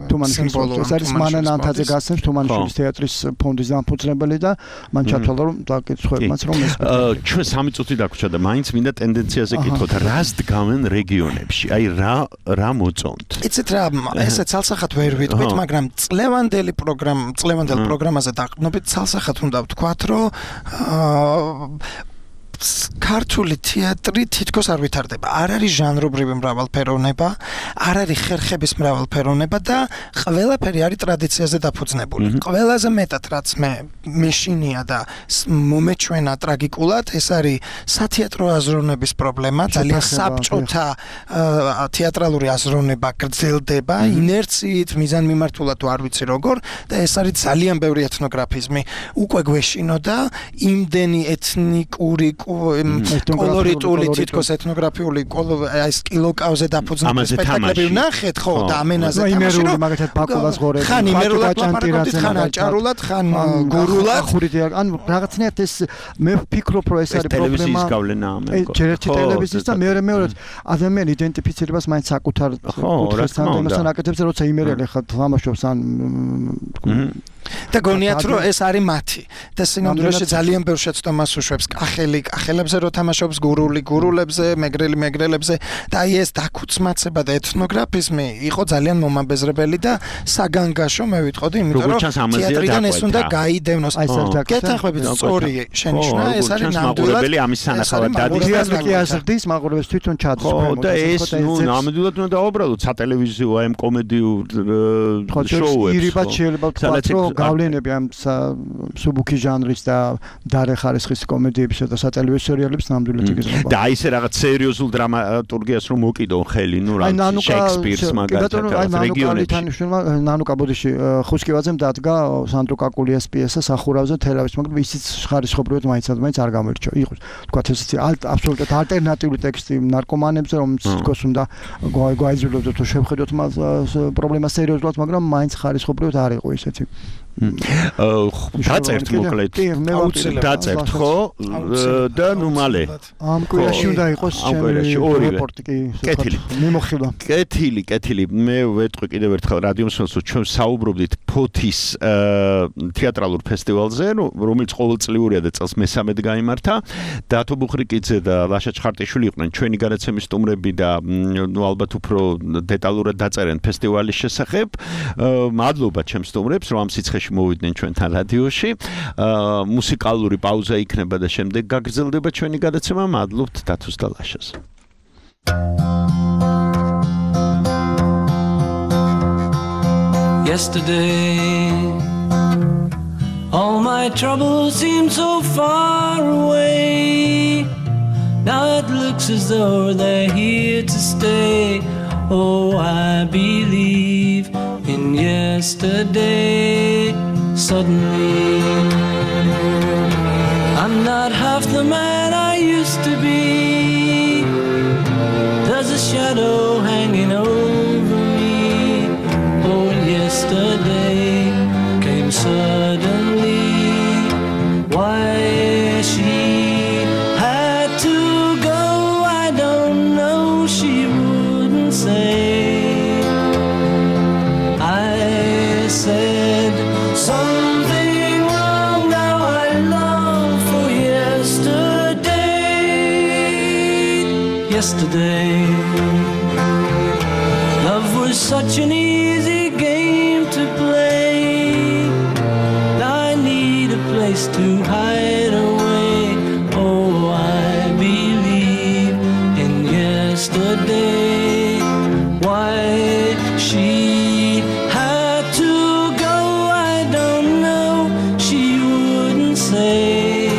თუმანიშვილის ეს არის მანან ანთაძე გასცემს თუმანიშვილის თეატრის ფონდის დამფუძნებელი და მან ჩათვალა რომ დაკითხებმაც რომ ეს ჩვენ 3 წუთი დაგვრჩა და მაინც მინდა ტენდენციაზე გითხოთ რას დგამენ რეგიონებში აი რა მოწონთ იცით რა ესე ცალსახად ვერ ვიტყვით მაგრამ წლევანდელ პროგრამაზე დაყრდნობით ცალსახად უნდა ვთქვათ რომ ქართული თეატრი თითქოს არ ვითარდება. არ არის ჟანრობრივი მრავალფეროვნება, არ არის ხერხების მრავალფეროვნება და ყველაფერი არის ტრადიციაზე დაფუძნებული. ყველაზე მეტად რაც მეშინია და მომეჩვენა ტრაგიკულად, ეს არის სათეატრო აზროვნების პრობლემა, ძალიან საბჭოთა თეატრალური აზროვნება გრძელდება, ინერციით, მიზანმიმართულად არ ვიცი როგორ და ეს არის ძალიან ბევრი ეთნოგრაფიზმი. უკვე გვეშინოდა იმდენი ეთნიკური კოლორიტული თითქოს ეთნოგრაფიული აი ეს კილოკავზე დაფუძნებული სპექტაკლები ვნახეთ ხო და ამენაზე თამაში რომ მაგათაც ბაკულას ღორე ხან იმერულად ლაპარაკობთ ხან აჭარულად ხან გურულად ან რაღაცნაირად ეს მე ვფიქრობ რომ ეს არის პრობლემა ჯერერთი ტელევიზიის და მეორე ადამიანი იდენტიფიცირებას მაინც საკუთარ კუთხესთან იმასთან აკეთებს როცა იმერელი ხარ თამაშობს ან და გონიათ რომ ეს არის მათი და სინამდვილეში ძალიან ბევრ შეცდომას უშვებს კახელებზე რო თამაშობს გურულებზე მეგრელებზე და აი ეს დაქუცმაცება და ეთნოგრაფიზმი იყო ძალიან მომაბეზრებელი და საგანგაშო მე ვიტყოდი იმიტომ რომ თეატრიდან ეს უნდა გაიდევნოს გეთანხმებით სწორი შენიშვნა ეს არის ნამდვილად ამის სანახავად დადის თეატრი აზრდის მაყურებელს თვითონ ჩადის და ეს ნამდვილად უნდა დაუბრალოთ სატელევიზიო აი ამ კომედიურ შოუებს ირიბად შეიძლება ვთქვათ რომ გავლენები ამ სუბუქი ჟანრის და დარე ხარისხის კომედიებისა და სატელევიზიო სერიალებს ნამდვილად იგრძნობა. და აი ეს რაღაც სერიოზულ დრამატურგიას რომ მოკიდონ ხელი, ნუ რა შექსპირს მაგალითად რეგიონებში. ნანუკა ბოდიში ხუსკივაძემ დადგა სანდრო კაკულიას პიესა სახურავზე თელავის, მაგრამ ისიც ხარისხობრივად მაინც არ გამოირჩა. იყო თქვა ესეთი აბსოლუტურად ალტერნატიული ტექსტი ნარკომანებზე, რომელიც თქოს უნდა გვაიძულებდეთ თუ შევხედოთ მას პრობლემას სერიოზულად, მაგრამ მაინც ხარისხობრივად არ იყო ისეთი. დაწერთ მოკლედ. დაწერთ ხო? და ნუ მალე. ამ კვირაში უნდა იყოს რეპორტი კი. მიმოხილვა. კეთილი. მე ვეტყვი კიდევ ერთხელ რადიომსმენელს, რომ ჩვენ საუბრობდით ფოთის თეატრალურ ფესტივალზე, რომელიც ყოველწლიურია და წელს მესამედ გაიმართა. დათო ბუხრიკიძე და ლაშა ჩხარტიშვილი იყვნენ ჩვენი განაცემის სტუმრები და ნუ ალბათ უფრო დეტალურად დაწერენ ფესტივალის შესახებ. მადლობა ჩემს სტუმრებს, რომ ამ სიცხეში მოვიდნენ ჩვენთან რადიოში. მუსიკალური პაუზა იქნება და შემდეგ გაგრძელდება ჩვენი გადაცემა. მადლობთ დათოს და ლაშას. Yesterday, all my troubles seem so far away. Now it looks as though they're here to stay. Oh, I believe in yesterday. Suddenly, I'm not half the man I used to be. There's a shadow hanging over me. Oh, yesterday came suddenly. Why she had to go, I don't know. She wouldn't say. I said something wrong. Now I long for yesterday. Love was such an easy game to play. Now I need a place to hide away. Oh, I believe in yesterday. Why she had to go, I don't know. She wouldn't say.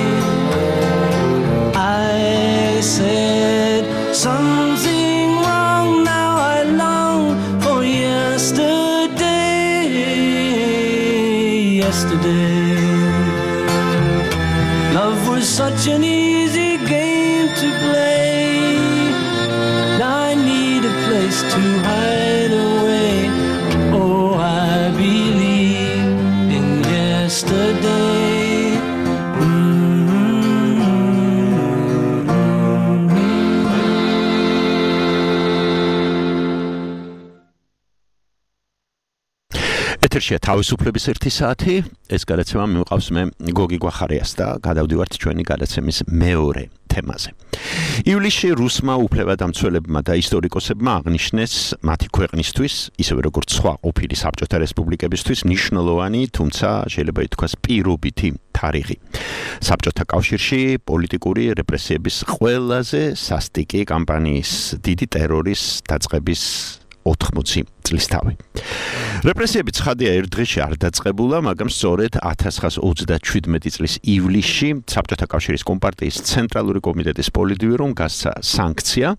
I said something wrong. Now I long for yesterday. Love was such an easy game to play. Now I need a place to hide away. Oh, I believe in yesterday. ეთერშია თავისუფლების 1 საათი. ეს გადაცემა მივყავს მე გოგი გვახარიას და გადავდივართ ჩვენი გადაცემის მეორე თემაზე. ივლისში რუსმა უფლებადამცველებმა და ისტორიკოსებმა აღნიშნეს მათი ქვეყნისთვის, ისევე როგორც სხვა ყოფილი საბჭოთა რესპუბლიკებისთვის, მნიშვნელოვანი, თუმცა შეიძლება ითქვას პირობითი თარიღი. საბჭოთა კავშირში პოლიტიკური რეპრესიების ყველაზე სასტიკი კამპანიის დიდი ტერორის დაწყების 80 წლის თავი. რეპრესიები ცხადია ერთ დღეში არ დაწყებულა, მაგრამ სწორედ 1927 წლის ივლისში საბჭოთა კავშირის კომპარტიის ცენტრალური კომიტეტის პოლიტბიურომ გასცა სანქცია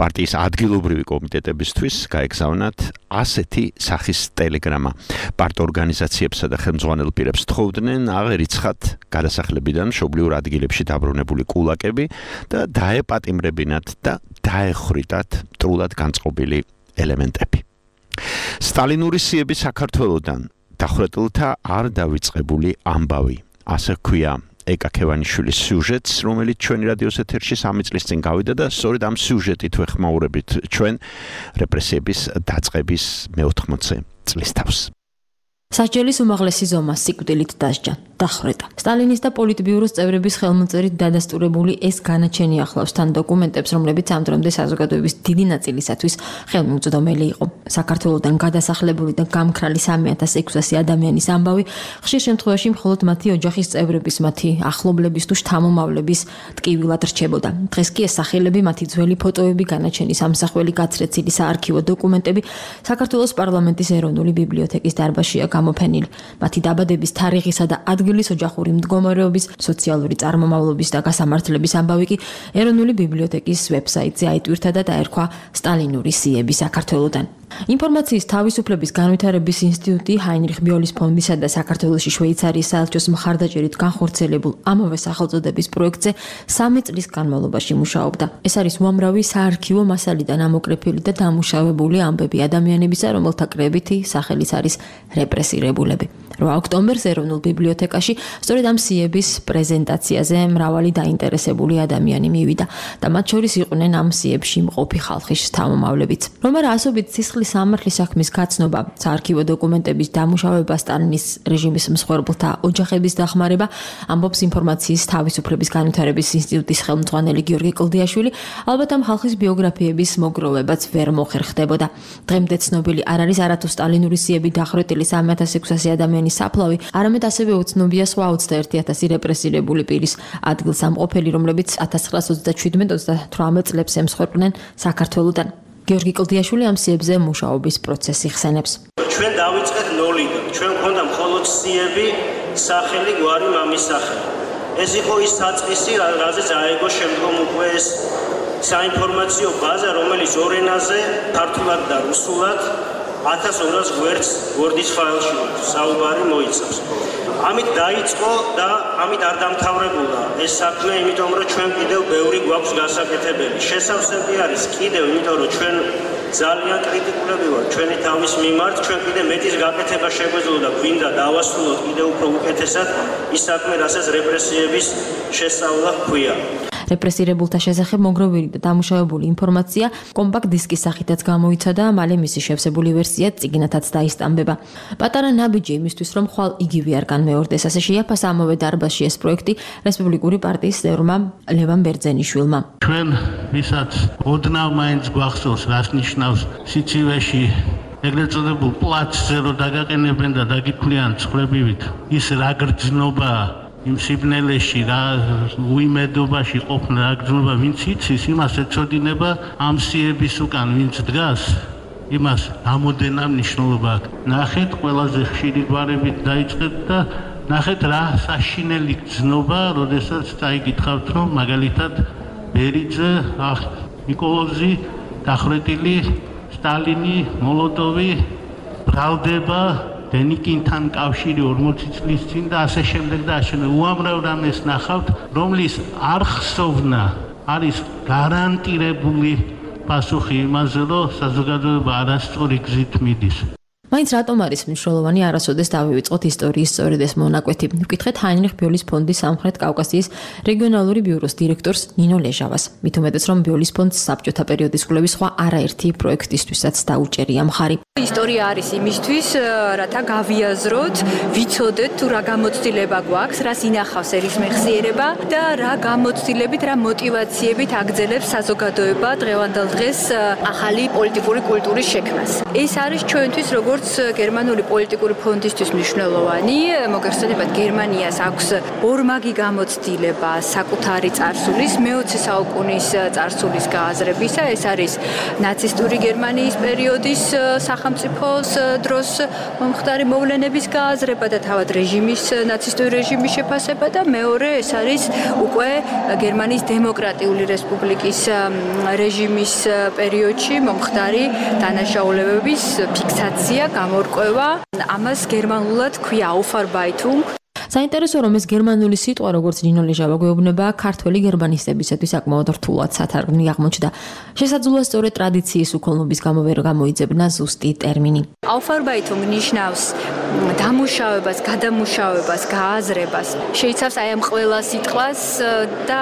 პარტიის ადგილობრივი კომიტეტებისთვის გაეგზავნათ ასეთი სახის ტელეგრამა. პარტორგანიზაციებსა და ხელმძღვანელ პირებს თხოვდნენ აღერიცხათ გადასახლებიდან მშობლიურ ადგილებში დაბრუნებული კულაკები და დაეპატიმრებინათ და დაეხრიტათ მტრულად განწყობილი ელემენტები. სტალინური სიები საქართველოდან დახვრეტილთა არ დავიწყებული ამბავი. ასე ქვია ეკა ქევანიშვილის სიუჟეტს, რომელიც ჩვენი რადიოს ეთერში 3 წლის წინ გავიდა და სწორედ ამ სიუჟეტით ვეხმაურებით ჩვენ რეპრესიების დაწყების მე-80 წლის თავს. სასჯელის უმაღლესი ზომა სიკვდილით დასჯა, დახვრეტა. სტალინის და პოლიტბიუროს წევრების ხელმოწერით დადასტურებული ეს განაჩენი ახლავს თან დოკუმენტებს, რომლებიც ამ დრომდე საზოგადოების დიდი ნაწილისათვის ხელმიუწვდომელი იყო. საქართველოდან გადასახლებული და გამქრალი 3600 ადამიანის ამბავი ხშირ შემთხვევაში მხოლოდ მათი ოჯახის წევრების, მათი ახლობლების თუ შთამომავლების ტკივილად რჩებოდა. დღეს კი ეს სახელები, მათი ძველი ფოტოები, განაჩენის ამსახველი გაცრეცილი საარქივო დოკუმენტები საქართველოს პარლამენტის ეროვნული ბიბლიოთეკის დარბაზშია გამოფენილი. მათი დაბადების თარიღისა და ადგილის ოჯახური მდგომარეობის, სოციალური წარმომავლობის და გასამართლების ამბავი კი ეროვნული ბიბლიოთეკის ვებსაიტზე აიტვირთა და დაერქვა სტალინური სიები საქართველოდან. ინფორმაციის თავისუფლების განვითარების ინსტიტუტი ჰაინრიხ ბიოლის ფონდისა და საქართველოში შვეიცარიის საელჩოს მხარდაჭერით განხორციელებულ ამავე სახელწოდების პროექტზე 3 წლის განმავლობაში მუშაობდა. ეს არის უამრავი საარქივო მასალიდან ამოკრეფილი და დამუშავებული ამბები ადამიანებისა, რომელთა კრებითი სახელიც არის რეპრესირებულები. 8 ოქტომბერს ეროვნულ ბიბლიოთეკაში სწორედ ამ სიების პრეზენტაციაზე მრავალი დაინტერესებული ადამიანი მივიდა და მათ შორის იყვნენ ამ სიებში მყოფი ხალხის შთამომავლებიც. რომარ ასობით სისხლის სამართლის საქმის გაცნობა, საარქივო დოკუმენტების დამუშავება, სტალინის რეჟიმის მსხვერპლთა ოჯახების დახმარება, ამბობს ინფორმაციის თავისუფლების განვითარების ინსტიტუტის ხელმძღვანელი გიორგი კლდიაშვილი, ალბათ ამ ხალხის ბიოგრაფიების მოგროვებაც ვერ მოხერხდებოდა. დღემდე ცნობილი არ არის არათუ სტალინური სიები დახვრეტილი 3600 ადამიანის საფლავი, არამედ ასევე უცნობია სხვა 21000 რეპრესირებული პირის ადგილსამყოფელი, რომლებიც 1927-38 წლებს ემსხვერპლნენ საქართველოდან. გიორგი კლდიაშვილი ამ სიებზე მუშაობის პროცესს იხსენებს. ჩვენ დავიწყეთ ნოლიდან. ჩვენ გვქონდა მხოლოდ სიები, სახელი, გვარი, მამის სახელი. ეს იყო ის საწყისი, რაზეც აიგო შემდგომ უკვე ეს საინფორმაციო ბაზა, რომელიც ორ ენაზე, ქართულად და რუსულად 1200 გვერდს Word-ის ფაილში საუბარი მოიცავს. ამით დაიწყო და ამით არ დამთავრებულა ეს საქმე, იმიტომ რომ ჩვენ კიდევ ბევრი გვაქვს გასაკეთებელი. შესავსები არის კიდევ, იმიტომ რომ ჩვენ ძალიან კრიტიკულები ვართ ჩვენი თავის მიმართ, ჩვენ კიდევ მეტის გაკეთება შეგვეძლო და გვინდა დავასრულოთ კიდევ უფრო უკეთესად ის საქმე, რასაც რეპრესიების შესწავლა ჰქვია. რეპრესირებულთა შესახებ მოგროვილი და დამუშავებული ინფორმაცია კომპაქტ დისკის სახითაც გამოიცა და მალე მისი შევსებული ვერსია წიგნათაც დაისტამბება. პატარა ნაბიჯი იმისთვის, რომ ხვალ იგივე არ განმეორდეს, ასე შეაფასა ამავე დარბაზში ეს პროექტი რესპუბლიკური პარტიის წევრმა ლევან ბერძენიშვილმა. ჩვენ ვისაც ოდნავ მაინც გვახსოვს, რას ნიშნავს სიცივეში ეგრეთ წოდებულ პლაცზე რო დაგაყენებენ და დაგიქვლიან ცხრებივით, ის რა გრძნობა იმ სიბნელეში, რა უიმედობაში ყოფნა, რა გრძნობა, ვინც იცის, იმას ეცოდინება ამ სიების უკან, ვინც დგას, იმას რამოდენა მნიშვნელობა აქვს. ნახეთ, ყველაზე ხშირი გვარებით დაიწყეთ და ნახეთ რა საშინელი გრძნობა, როდესაც წაიგითხავთ, რომ მაგალითად ბერიძე, ნიკოლოზი, დახვრეტილი, სტალინი, მოლოტოვი ბრალდება დენიკინთან კავშირი 40 წლის წინ და ასე შემდეგ და ასე უამრავ რამეს ნახავთ, რომლის არხსოვნა არის გარანტირებული პასუხი იმაზე, რომ საზოგადოება არასწორი გზით მიდის. მაინც რატომ არის მნიშვნელოვანი არასოდეს დავივიწყოთ ისტორიის სწორედ ეს მონაკვეთი? ვკითხეთ ჰაინრიხ ბიოლის ფონდის სამხრეთ კავკასიის რეგიონალური ბიუროს დირექტორს ნინო ლეჟავას. მით უმეტეს, რომ ბიოლის ფონდს საბჭოთა პერიოდის კვლევის სხვა არაერთი პროექტისთვისაც დაუჭერია მხარი. ისტორია არის იმისთვის, რათა გავიაზროთ, ვიცოდეთ თუ რა გამოცდილება გვაქვს, რას ინახავს ერისმეხსიერება და რა გამოცდილებით, რა მოტივაციებით აგრძელებს საზოგადოება დღევანდელ დღეს ახალი პოლიტიკური კულტურის შექმნას. ეს არის ჩვენთვის როგორც გერმანული პოლიტიკური ფონდისთვის მნიშვნელოვანი. მოგეხსენებათ, გერმანიას აქვს ორმაგი გამოცდილება საკუთარი წარსულის, მე-20 საუკუნის წარსულის გააზრებისა. ეს არის ნაცისტური გერმანიის პერიოდის სახელმწიფოს დროს მომხდარი მოვლენების გააზრება და თავად რეჟიმის, ნაცისტური რეჟიმის შეფასება და მეორე ეს არის უკვე გერმანიის დემოკრატიული რესპუბლიკის რეჟიმის პერიოდში მომხდარი დანაშაულებების ფიქსაცია, გამორკვევა. ამას გერმანულად ქვია Aufarbeitung. საინტერესო რომ ეს გერმანული სიტყვა, როგორც ნინო ლეჟავა გვეუბნება, ქართველი გერმანისტებისათვის საკმაოდ რთულად სათარგმნი აღმოჩნდა. შესაძლოა სწორედ ტრადიციის უქოლმობის გამო ვერ გამოიძებნა ზუსტი ტერმინი. Aufarbeitung ნიშნავს დამუშავებას, გადამუშავებას, გააზრებას. შეიცავს აი ამ ყველა სიტყვას და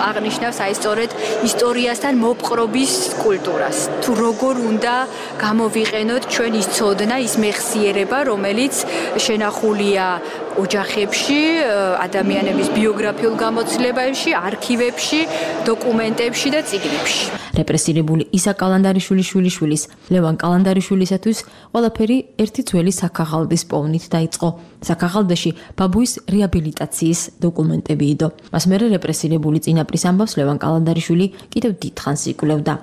აღნიშნავს აი სწორედ ისტორიასთან მოპყრობის კულტურას. თუ როგორ უნდა გამოვიყენოთ ჩვენ ის ცოდნა, ის მეხსიერება, რომელიც შენახულია ოჯახებში, ადამიანების ბიოგრაფიულ გამოცდილებებში, არქივებში, დოკუმენტებში და წიგნებში. რეპრესირებული ისა კალანდარიშვილის, ლევან კალანდარიშვილისათვის ყველაფერი ერთი ძველი საქაღალდის პოვნით დაიწყო. საქაღალდაში ბაბუის რეაბილიტაციის დოკუმენტები იდო. მას მერე რეპრესირებული წინაპრის ამბავს ლევან კალანდარიშვილი კიდევ დიდხანს იკვლევდა.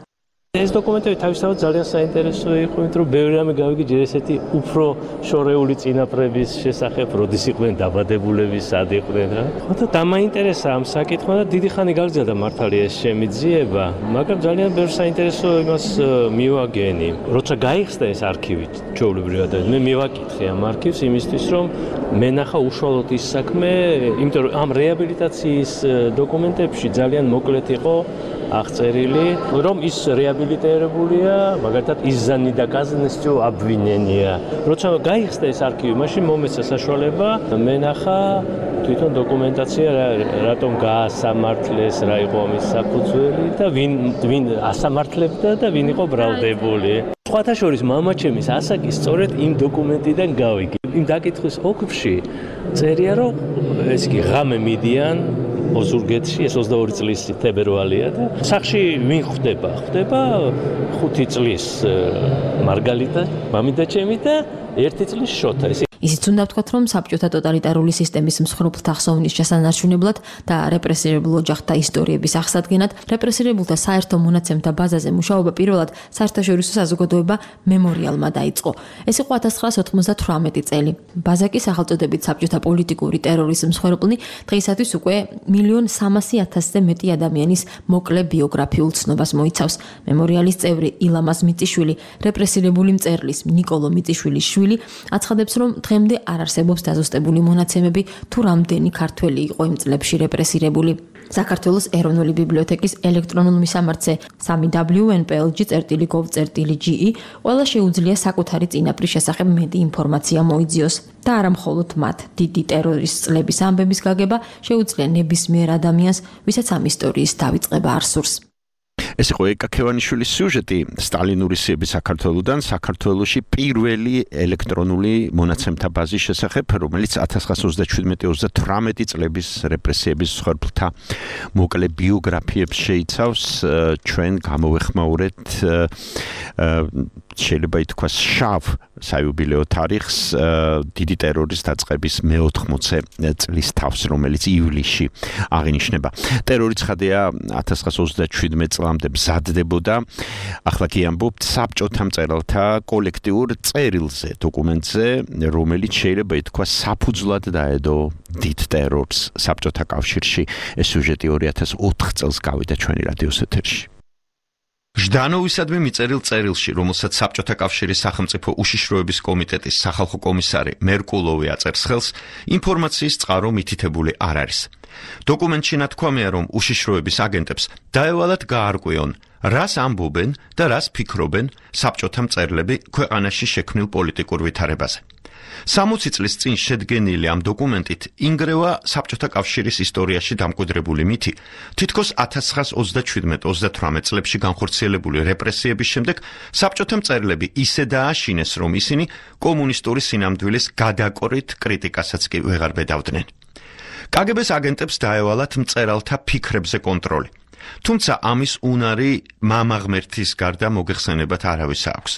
ეს დოკუმენტები თავისთავად ძალიან საინტერესო იყო, იმიტომ რომ ბევრი რამე გავიგე ჯერ ესეთი უფრო შორეული წინაპრების შესახებ, როდის იყვნენ დაბადებულები, სად იყვნენ რა. ხოდა დამაინტერესა ამ საკითხმა და დიდი ხანი გაგრძელდა მართალია ეს შემიძიება, მაგრამ ძალიან ბევრ საინტერესო იმას მივაგენი. როცა გაიხსნა ეს არქივი, ჩვეულებრივად მე მივაკითხე ამ არქივს იმისთვის, რომ მენახა უშუალოდ ის საქმე, იმიტომ რომ ამ რეაბილიტაციის დოკუმენტებში ძალიან მოკლედ იყო აღწერილი, რომ ის რეაბილიტირებულია, მაგალითად იზანი და კაზნესჯო აბვინენია. როცა გაიხსნა ეს არქივი, მაშინ მომეცა საშუალება მენახა თვითონ დოკუმენტაცია რატომ გაასამართლეს, რა იყო ამის საფუძველი და ვინ ასამართლებდა და ვინ იყო ბრალდებული. სხვათა შორის მამაჩემის ასაკი სწორედ იმ დოკუმენტიდან გავიგე. იმ დაკითხვის ოქროში წერია, რომ ეს კი ღამე მიდიან ოზურგეთში, ეს 22 წლის თებერვალია და სახში ვინ ხვდება? ხვდება 5 წლის მარგალიტა, მამიდა ჩემი და 1 წლის შოთა. ისიც უნდა ვთქვათ, რომ საბჭოთა ტოტალიტარული სისტემის მსხვერპლთა ხსოვნის შესანარჩუნებლად და რეპრესირებულ ოჯახთა ისტორიების აღსადგენად რეპრესირებულთა საერთო მონაცემთა ბაზაზე მუშაობა პირველად საერთაშორისო საზოგადოება მემორიალმა დაიწყო. ეს იყო 1998 წელი. ბაზა კი სახელწოდებით საბჭოთა პოლიტიკური ტერორის მსხვერპლნი დღეისათვის უკვე 1.300.000-ზე მეტი ადამიანის მოკლე ბიოგრაფიულ ცნობას მოიცავს. მემორიალის წევრი ილამაზ მიწიშვილი, რეპრესირებული მწერლის ნიკოლო მიწიშვილის შვილი აცხადებს, რომ დღემდე არ არსებობს დაზუსტებული მონაცემები თუ რამდენი ქართველი იყო იმ წლებში რეპრესირებული. საქართველოს ეროვნული ბიბლიოთეკის ელექტრონულ მისამართზე 3wnplg.gov.ge ყველა შეუძლია საკუთარი წინაპრის შესახებ მეტი ინფორმაცია მოიძიოს და არა მხოლოდ მათ. დიდი ტერორის წლების ამბების გაგება შეუძლია ნებისმიერ ადამიანს, ვისაც ამ ისტორიის დავიწყება არ სურს. ეს იყო ეკა ქევანიშვილის სიუჟეტი სტალინური სიების საქართველოსდან საქართველოში პირველი ელექტრონული მონაცემთა ბაზის შესახებ, რომელიც 1927-38 წლების რეპრესიების მსხვერპლთა მოკლე ბიოგრაფიებს შეიცავს. ჩვენ გამოვეხმაურეთ შეიძლება ითქვას შავ საიუბილეო თარიღს დიდი ტერორის დაწყების მე-80 წლის თავს, რომელიც ივლისში აღინიშნება. ტერორი ცხადია 1927 წლამდე მზადდებოდა. ახლა კი ამბობთ საბჭოთა მწერალთა კოლექტიურ წერილზე, დოკუმენტზე, რომელიც შეიძლება ითქვას საფუძვლად დაედო დიდ ტერორს საბჭოთა კავშირში. ეს სიუჟეტი 2004 წელს გავიდა ჩვენი რადიოს ეთერში. ჟდანოვისადმი მიწერილ წერილში, რომელსაც საბჭოთა კავშირის სახელმწიფო უშიშროების კომიტეტის სახალხო კომისარი მერკულოვი აწერს ხელს, ინფორმაციის წყარო მითითებული არ არის. დოკუმენტში ნათქვამია, რომ უშიშროების აგენტებს დაევალათ გაარკვიონ, რას ამბობენ და რას ფიქრობენ საბჭოთა მწერლები ქვეყანაში შექმნილ პოლიტიკურ ვითარებაზე. 60 წლის წინ შედგენილი ამ დოკუმენტით ინგრევა საბჭოთა კავშირის ისტორიაში დამკვიდრებული მითი, თითქოს 1927-38 წლებში განხორციელებული რეპრესიების შემდეგ საბჭოთა მწერლები ისე დააშინეს, რომ ისინი კომუნისტური სინამდვილის გადაკორით კრიტიკასაც კი ვეღარ ბედავდნენ. კგბ-ს აგენტებს დაევალათ მწერალთა ფიქრებზე კონტროლი. თუმცა ამის უნარი მამაღმერთის გარდა მოგეხსენებათ არავის აქვს.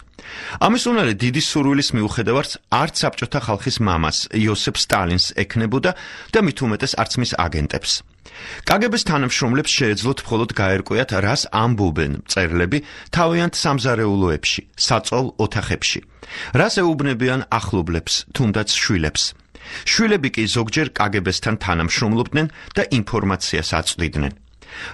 ამის უნარი დიდი სურვილის მიუხედავად არც საბჭოთა ხალხის მამას იოსებ სტალინს ექნებოდა და მით უმეტეს არც მის აგენტებს. კგბ-ს თანამშრომლებს შეეძლოთ მხოლოდ გაერკვიათ, რას ამბობენ მწერლები თავიანთ სამზარეულოებში, საწოლ ოთახებში, რას ეუბნებიან ახლობლებს, თუნდაც შვილებს. შვილები კი ზოგჯერ კგბ-სთან თანამშრომლობდნენ და ინფორმაციას აწვდიდნენ.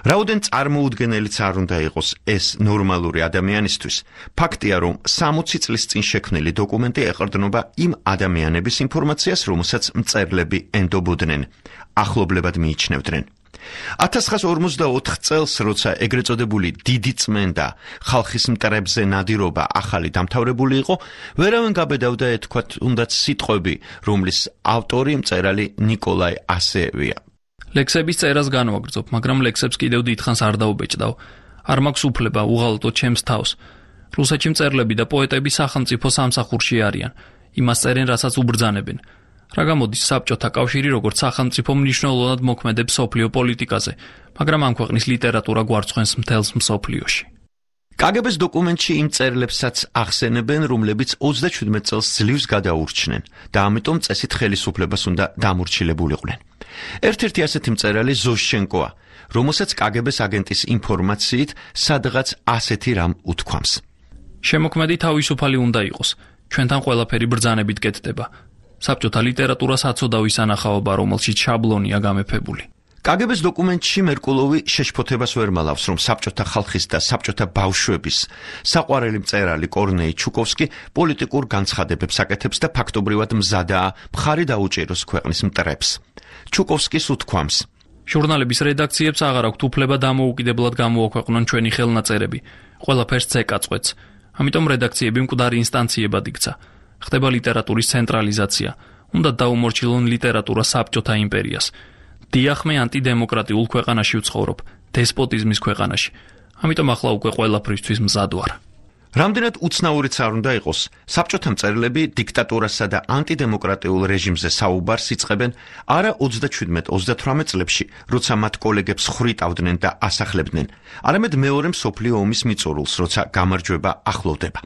რაოდენ წარმოუდგენელიც არ უნდა იყოს ეს ნორმალური ადამიანისთვის, ფაქტია, რომ 60 წლის წინ შექმნილი დოკუმენტი ეყრდნობა იმ ადამიანების ინფორმაციას, რომელსაც მწერლები ენდობოდნენ, ახლობლებად მიიჩნევდნენ. 1954 წელს, როცა ეგრეთ წოდებული დიდი წმენდა ხალხის მტრებზე ნადირობა ახალი დამთავრებული იყო, ვერავინ გაბედავდა ეთქვათ უნდაც სიტყვები, რომლის ავტორი მწერალი ნიკოლაი ასეევია. ლექსების წერას განვაგრძობ, მაგრამ ლექსებს კიდევ დიდხანს არ დაუბეჭდავ. არ მაქვს უფლება უღალატო ჩემს თავს. რუსეთში მწერლები და პოეტები სახელმწიფო სამსახურში არიან. იმას წერენ, რასაც უბრძანებენ. რა გამოდის საბჭოთა კავშირი როგორც სახელმწიფო მნიშვნელოვნად მოქმედებს მსოფლიო პოლიტიკაზე, მაგრამ ამ ქვეყნის ლიტერატურა გვარცხენს მთელს მსოფლიოში. კგბ-ს დოკუმენტში იმ წერილებსაც ახსენებენ, რომლებიც 37 წელს ძლივს გადაურჩნენ და ამიტომ წესით ხელისუფლებას უნდა დამორჩილებულიყვნენ. ერთ-ერთი ასეთი მწერალი ზოშჩენკოა, რომელსაც კგბ-ს აგენტის ინფორმაციით სადღაც ასეთი რამ უთქვამს. შემოქმედი თავისუფალი უნდა იყოს. ჩვენთან ყველაფერი ბრძანებით კეთდება. საბჭოთა ლიტერატურას აცოდავ ის ანახაობა, რომელშიც შაბლონია გამეფებული. კგბ-ს დოკუმენტში მერკულოვი შეშფოთებას ვერ მალავს, რომ საბჭოთა ხალხის და საბჭოთა ბავშვების საყვარელი მწერალი კორნეი ჩუკოვსკი პოლიტიკურ განცხადებებს აკეთებს და ფაქტობრივად მზადაა მხარი დაუჭიროს ქვეყნის მტრებს. ჩუკოვსკის უთქვამს: ჟურნალების რედაქციებს აღარ აქვთ უფლება დამოუკიდებლად გამოაქვეყნონ ჩვენი ხელნაწერები. ყველაფერს ცეკაწყვეტს. ამიტომ რედაქციები მკვდარი ინსტანციებად იქცა. ხდება ლიტერატურის ცენტრალიზაცია. უნდა დაუმორჩილონ ლიტერატურა საბჭოთა იმპერიას. დიახ, მე ანტიდემოკრატიულ ქვეყანაში ვცხოვრობ, დესპოტიზმის ქვეყანაში. ამიტომ ახლა უკვე ყველაფრისთვის მზად ვარ. რამდენად უცნაურიც არ უნდა იყოს, საბჭოთა მწერლები დიქტატურასა და ანტიდემოკრატიულ რეჟიმზე საუბარს იწყებენ არა 27-38 წლებში, როცა მათ კოლეგებს ხრიტავდნენ და ასახლებდნენ, არამედ მეორე მსოფლიო ომის მიწურულს, როცა გამარჯვება ახლოვდება.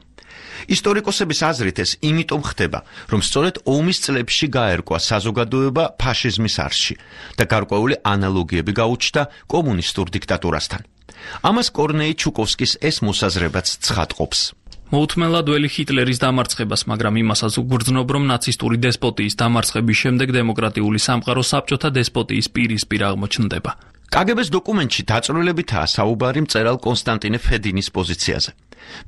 ისტორიკოსების აზრით ეს იმიტომ ხდება, რომ სწორედ ომის წლებში გაერკვა საზოგადოება ფაშიზმის არხში და გარკვეული ანალოგიები გაუჩნდა კომუნისტურ დიქტატურასთან. ამას კორნეი ჩუკოვსკის ეს მოსაზრებაც ცხადყოფს. მოუთმენლად ველი ჰიტლერის დამარცხებას, მაგრამ იმასაც უგრძნობ, რომ ნაცისტური დესპოტიის დამარცხების შემდეგ დემოკრატიული სამყარო საბჭოთა დესპოტიის პირისპირ აღმოჩნდება. კგბ-ს დოკუმენტში დაწვრილებითაა საუბარი მწერალ კონსტანტინე ფედინის პოზიციაზე.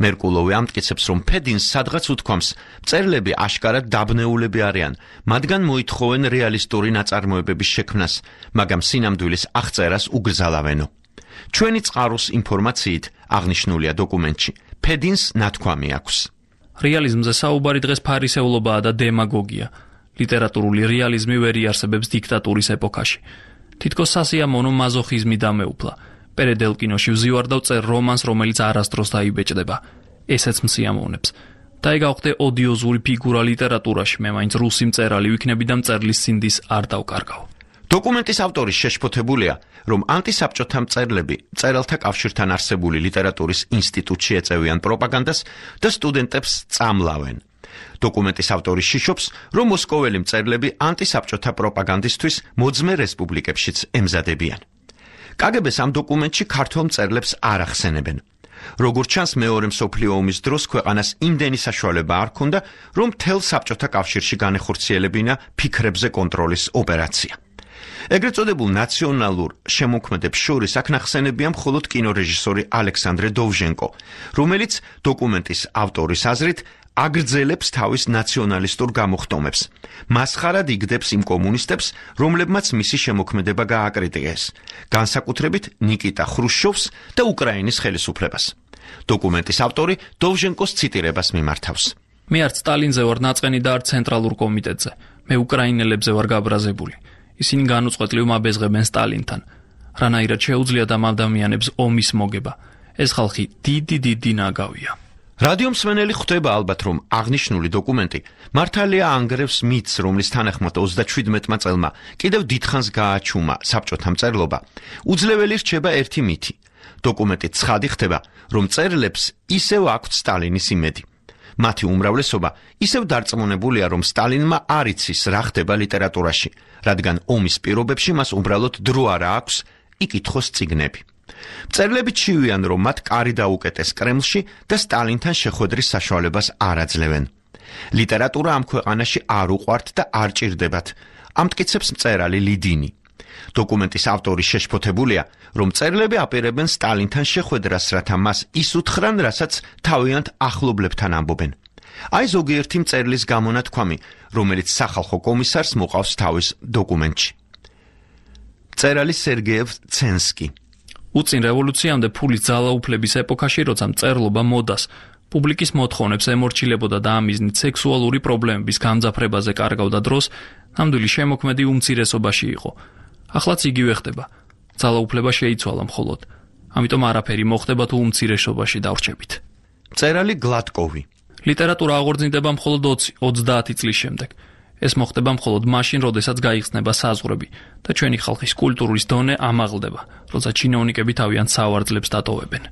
მერკულოვი ამტკიცებს, რომ ფედინს სადღაც უთქვამს, მწერლები აშკარად დაბნეულები არიან, მათგან მოითხოვენ რეალისტური ნაწარმოებების შექმნას, მაგრამ სინამდვილის აღწერას უგრძალავენო. ჩვენი წყაროს ინფორმაციით აღნიშნულია დოკუმენტში, ფედინს ნათქვამი აქვს. რეალიზმზე საუბარი დღეს ფარისეულობაა და დემაგოგია. ლიტერატურული რეალიზმი ვერ იარსებებს დიქტატურის ეპოქაში. თითქოს სასიამოვნო მაზოხიზმი დამეუფლა. პერედელკინოში ვზივარ და ვწერ რომანს, რომელიც არასდროს დაიბეჭდება. ესეც მსიამოვნებს. დაიგავხდე ოდიოზური ფიგურა ლიტერატურაში, მე მაინც რუსი მწერალი ვიქნები და მწერლის სინდის არ დავკარგავ. დოკუმენტის ავტორი შეშფოთებულია, რომ ანტისაბჭოთა მწერლები მწერალთა კავშირთან არსებული ლიტერატურის ინსტიტუტში ეწევიან პროპაგანდას და სტუდენტებს წამლავენ. დოკუმენტის ავტორი შიშობს, რომ მოსკოველი მწერლები ანტისაბჭოთა პროპაგანდისთვის მოძმე რესპუბლიკებშიც ემზადებიან. კგბ-ს ამ დოკუმენტში ქართველ მწერლებს არ ახსენებენ. როგორც ჩანს, მეორე მსოფლიო ომის დროს ქვეყანას იმდენი საშუალება არ ჰქონდა, რომ მთელ საბჭოთა კავშირში განეხორციელებინა ფიქრებზე კონტროლის ოპერაცია. ეგრეთ წოდებულ ნაციონალურ შემოქმედებს შორის აქ ნახსენებია მხოლოდ კინორეჟისორი ალექსანდრე დოვჟენკო, რომელიც დოკუმენტის ავტორის აზრით აგრძელებს თავის ნაციონალისტურ გამოხტომებს. მასხარად იგდებს იმ კომუნისტებს, რომლებმაც მისი შემოქმედება გააკრიტიკეს, განსაკუთრებით ნიკიტა ხრუშჩოვს და უკრაინის ხელისუფლებას. დოკუმენტის ავტორი დოვჟენკოს ციტირებას მიმართავს. მე არც სტალინზე ვარ ნაწყენი და არც ცენტრალურ კომიტეტზე. მე უკრაინელებზე ვარ გაბრაზებული. ისინი განუწყვეტლივ მაბეზღებენ სტალინთან. რანაირად შეუძლია და ადამიანებს ომის მოგება. ეს ხალხი დიდი ნაგავია. რადიო მსმენელი ხვდება ალბათ, რომ აღნიშნული დოკუმენტი მართალია ანგრევს მითს, რომლის თანახმად 37 წელმა კიდევ დიდხანს გააჩუმა საბჭოთა მწერლობა. უძლეველი რჩება ერთი მითი. დოკუმენტი ცხადი ხდება, რომ მწერლებს ისევ აქვთ სტალინის იმედი. მათი უმრავლესობა ისევ დარწმუნებულია, რომ სტალინმა არ იცის რა ხდება ლიტერატურაში, რადგან ომის პირობებში მას უბრალოდ დრო არ აქვს იკითხოს წიგნები. მწერლები ჩივიან, რომ მათ კარი დაუკეტეს კრემლში და სტალინთან შეხვედრის საშუალებას არ აძლევენ. ლიტერატურა ამ ქვეყანაში არ უყვართ და არ ჭირდებათ, ამტკიცებს მწერალი ლიდინი. დოკუმენტის ავტორი შეშფოთებულია, რომ მწერლები აპირებენ სტალინთან შეხვედრას, რათა მას ის უთხრან, რასაც თავიანთ ახლობლებთან ამბობენ. აი ზოგიერთი მწერლის გამონათქვამი, რომელიც სახალხო კომისარს მოყავს თავის დოკუმენტში. მწერალი სერგეევ ცენსკი. უწინ რევოლუციამდე ფულის ძალაუფლების ეპოქაში, როცა მწერლობა მოდას, პუბლიკის მოთხოვნებს ემორჩილებოდა და ამ მიზნით სექსუალური პრობლემების გამძაფრებაზე კარგავდა დროს, ნამდვილი შემოქმედი უმცირესობაში იყო. ახლაც იგივე ხდება. ძალაუფლება შეიცვალა მხოლოდ. ამიტომ არაფერი მოხდება თუ უმცირესობაში დავრჩებით. მწერალი გლატკოვი. ლიტერატურა აღორძინდება მხოლოდ 20-30 წლის შემდეგ. ეს მოხდება მხოლოდ მაშინ, როდესაც გაიხსნება საზღვრები და ჩვენი ხალხის კულტურის დონე ამაღლდება, როცა ჩინოვნიკები თავიანთ სავარძლებს დატოვებენ.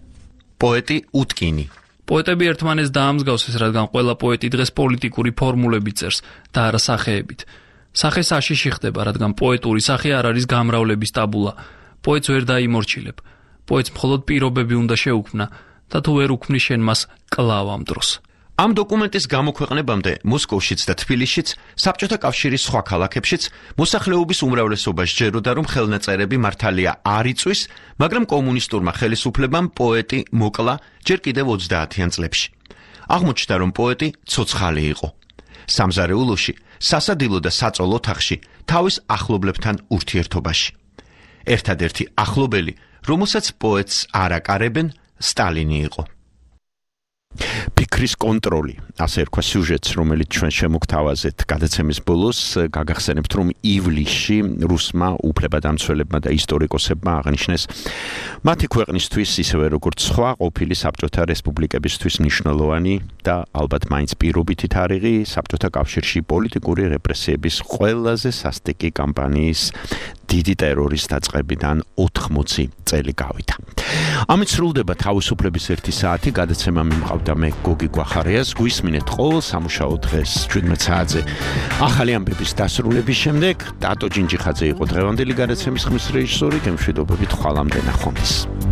პოეტი უტკინი. პოეტები ერთმანეთს დაამსგავსეს, რადგან ყველა პოეტი დღეს პოლიტიკური ფორმულები წერს და არა სახეებით. სახე საშიში ხდება, რადგან პოეტური სახე არ არის გამრავლების ტაბულა. პოეტს ვერ დაიმორჩილებ. პოეტს მხოლოდ პირობები უნდა შეუქმნა და თუ ვერ უქმნის შენ მას კლავ ამ დროს. ამ დოკუმენტის გამოქვეყნებამდე მოსკოვშიც და თბილისშიც, საბჭოთა კავშირის სხვა ქალაქებშიც მოსახლეობის უმრავლესობა სჯეროდა, რომ ხელნაწერები მართალია არ იწვის, მაგრამ კომუნისტურმა ხელისუფლებამ პოეტი მოკლა ჯერ კიდევ 30-იან წლებში. აღმოჩნდა, რომ პოეტი ცოცხალი იყო. სამზარეულოში, სასადილო და საწოლ ოთახში, თავის ახლობლებთან ურთიერთობაში. ერთადერთი ახლობელი, რომელსაც პოეტს არ აკარებენ, სტალინი იყო. ფიქრის კონტროლი, ასე რქვა სიუჟეტს, რომელიც ჩვენ შემოგთავაზეთ გადაცემის ბოლოს, გაგახსენებთ, რომ ივლისში რუსმა უფლებადამცველებმა და ისტორიკოსებმა აღნიშნეს მათი ქვეყნისთვის, ისევე როგორც სხვა ყოფილი საბჭოთა რესპუბლიკებისთვის მნიშვნელოვანი და ალბათ მაინც პირობითი თარიღი საბჭოთა კავშირში პოლიტიკური რეპრესიების ყველაზე სასტიკი კამპანიის დიდი ტერორის დაწყებიდან 80 წელი გავიდა. ამით სრულდება თავისუფლების 1 საათი, გადაცემა მიმყავდა მე გოგი გვახარიას, გვისმინეთ ყოველ სამუშაო დღეს 17 საათზე. ახალი ამბების დასრულების შემდეგ დატო ჯინჯიხაძე იყო დღევანდელი გადაცემის ხმის რეჟისორი, გემშვიდობებით ხვალამდე ნახვამდის.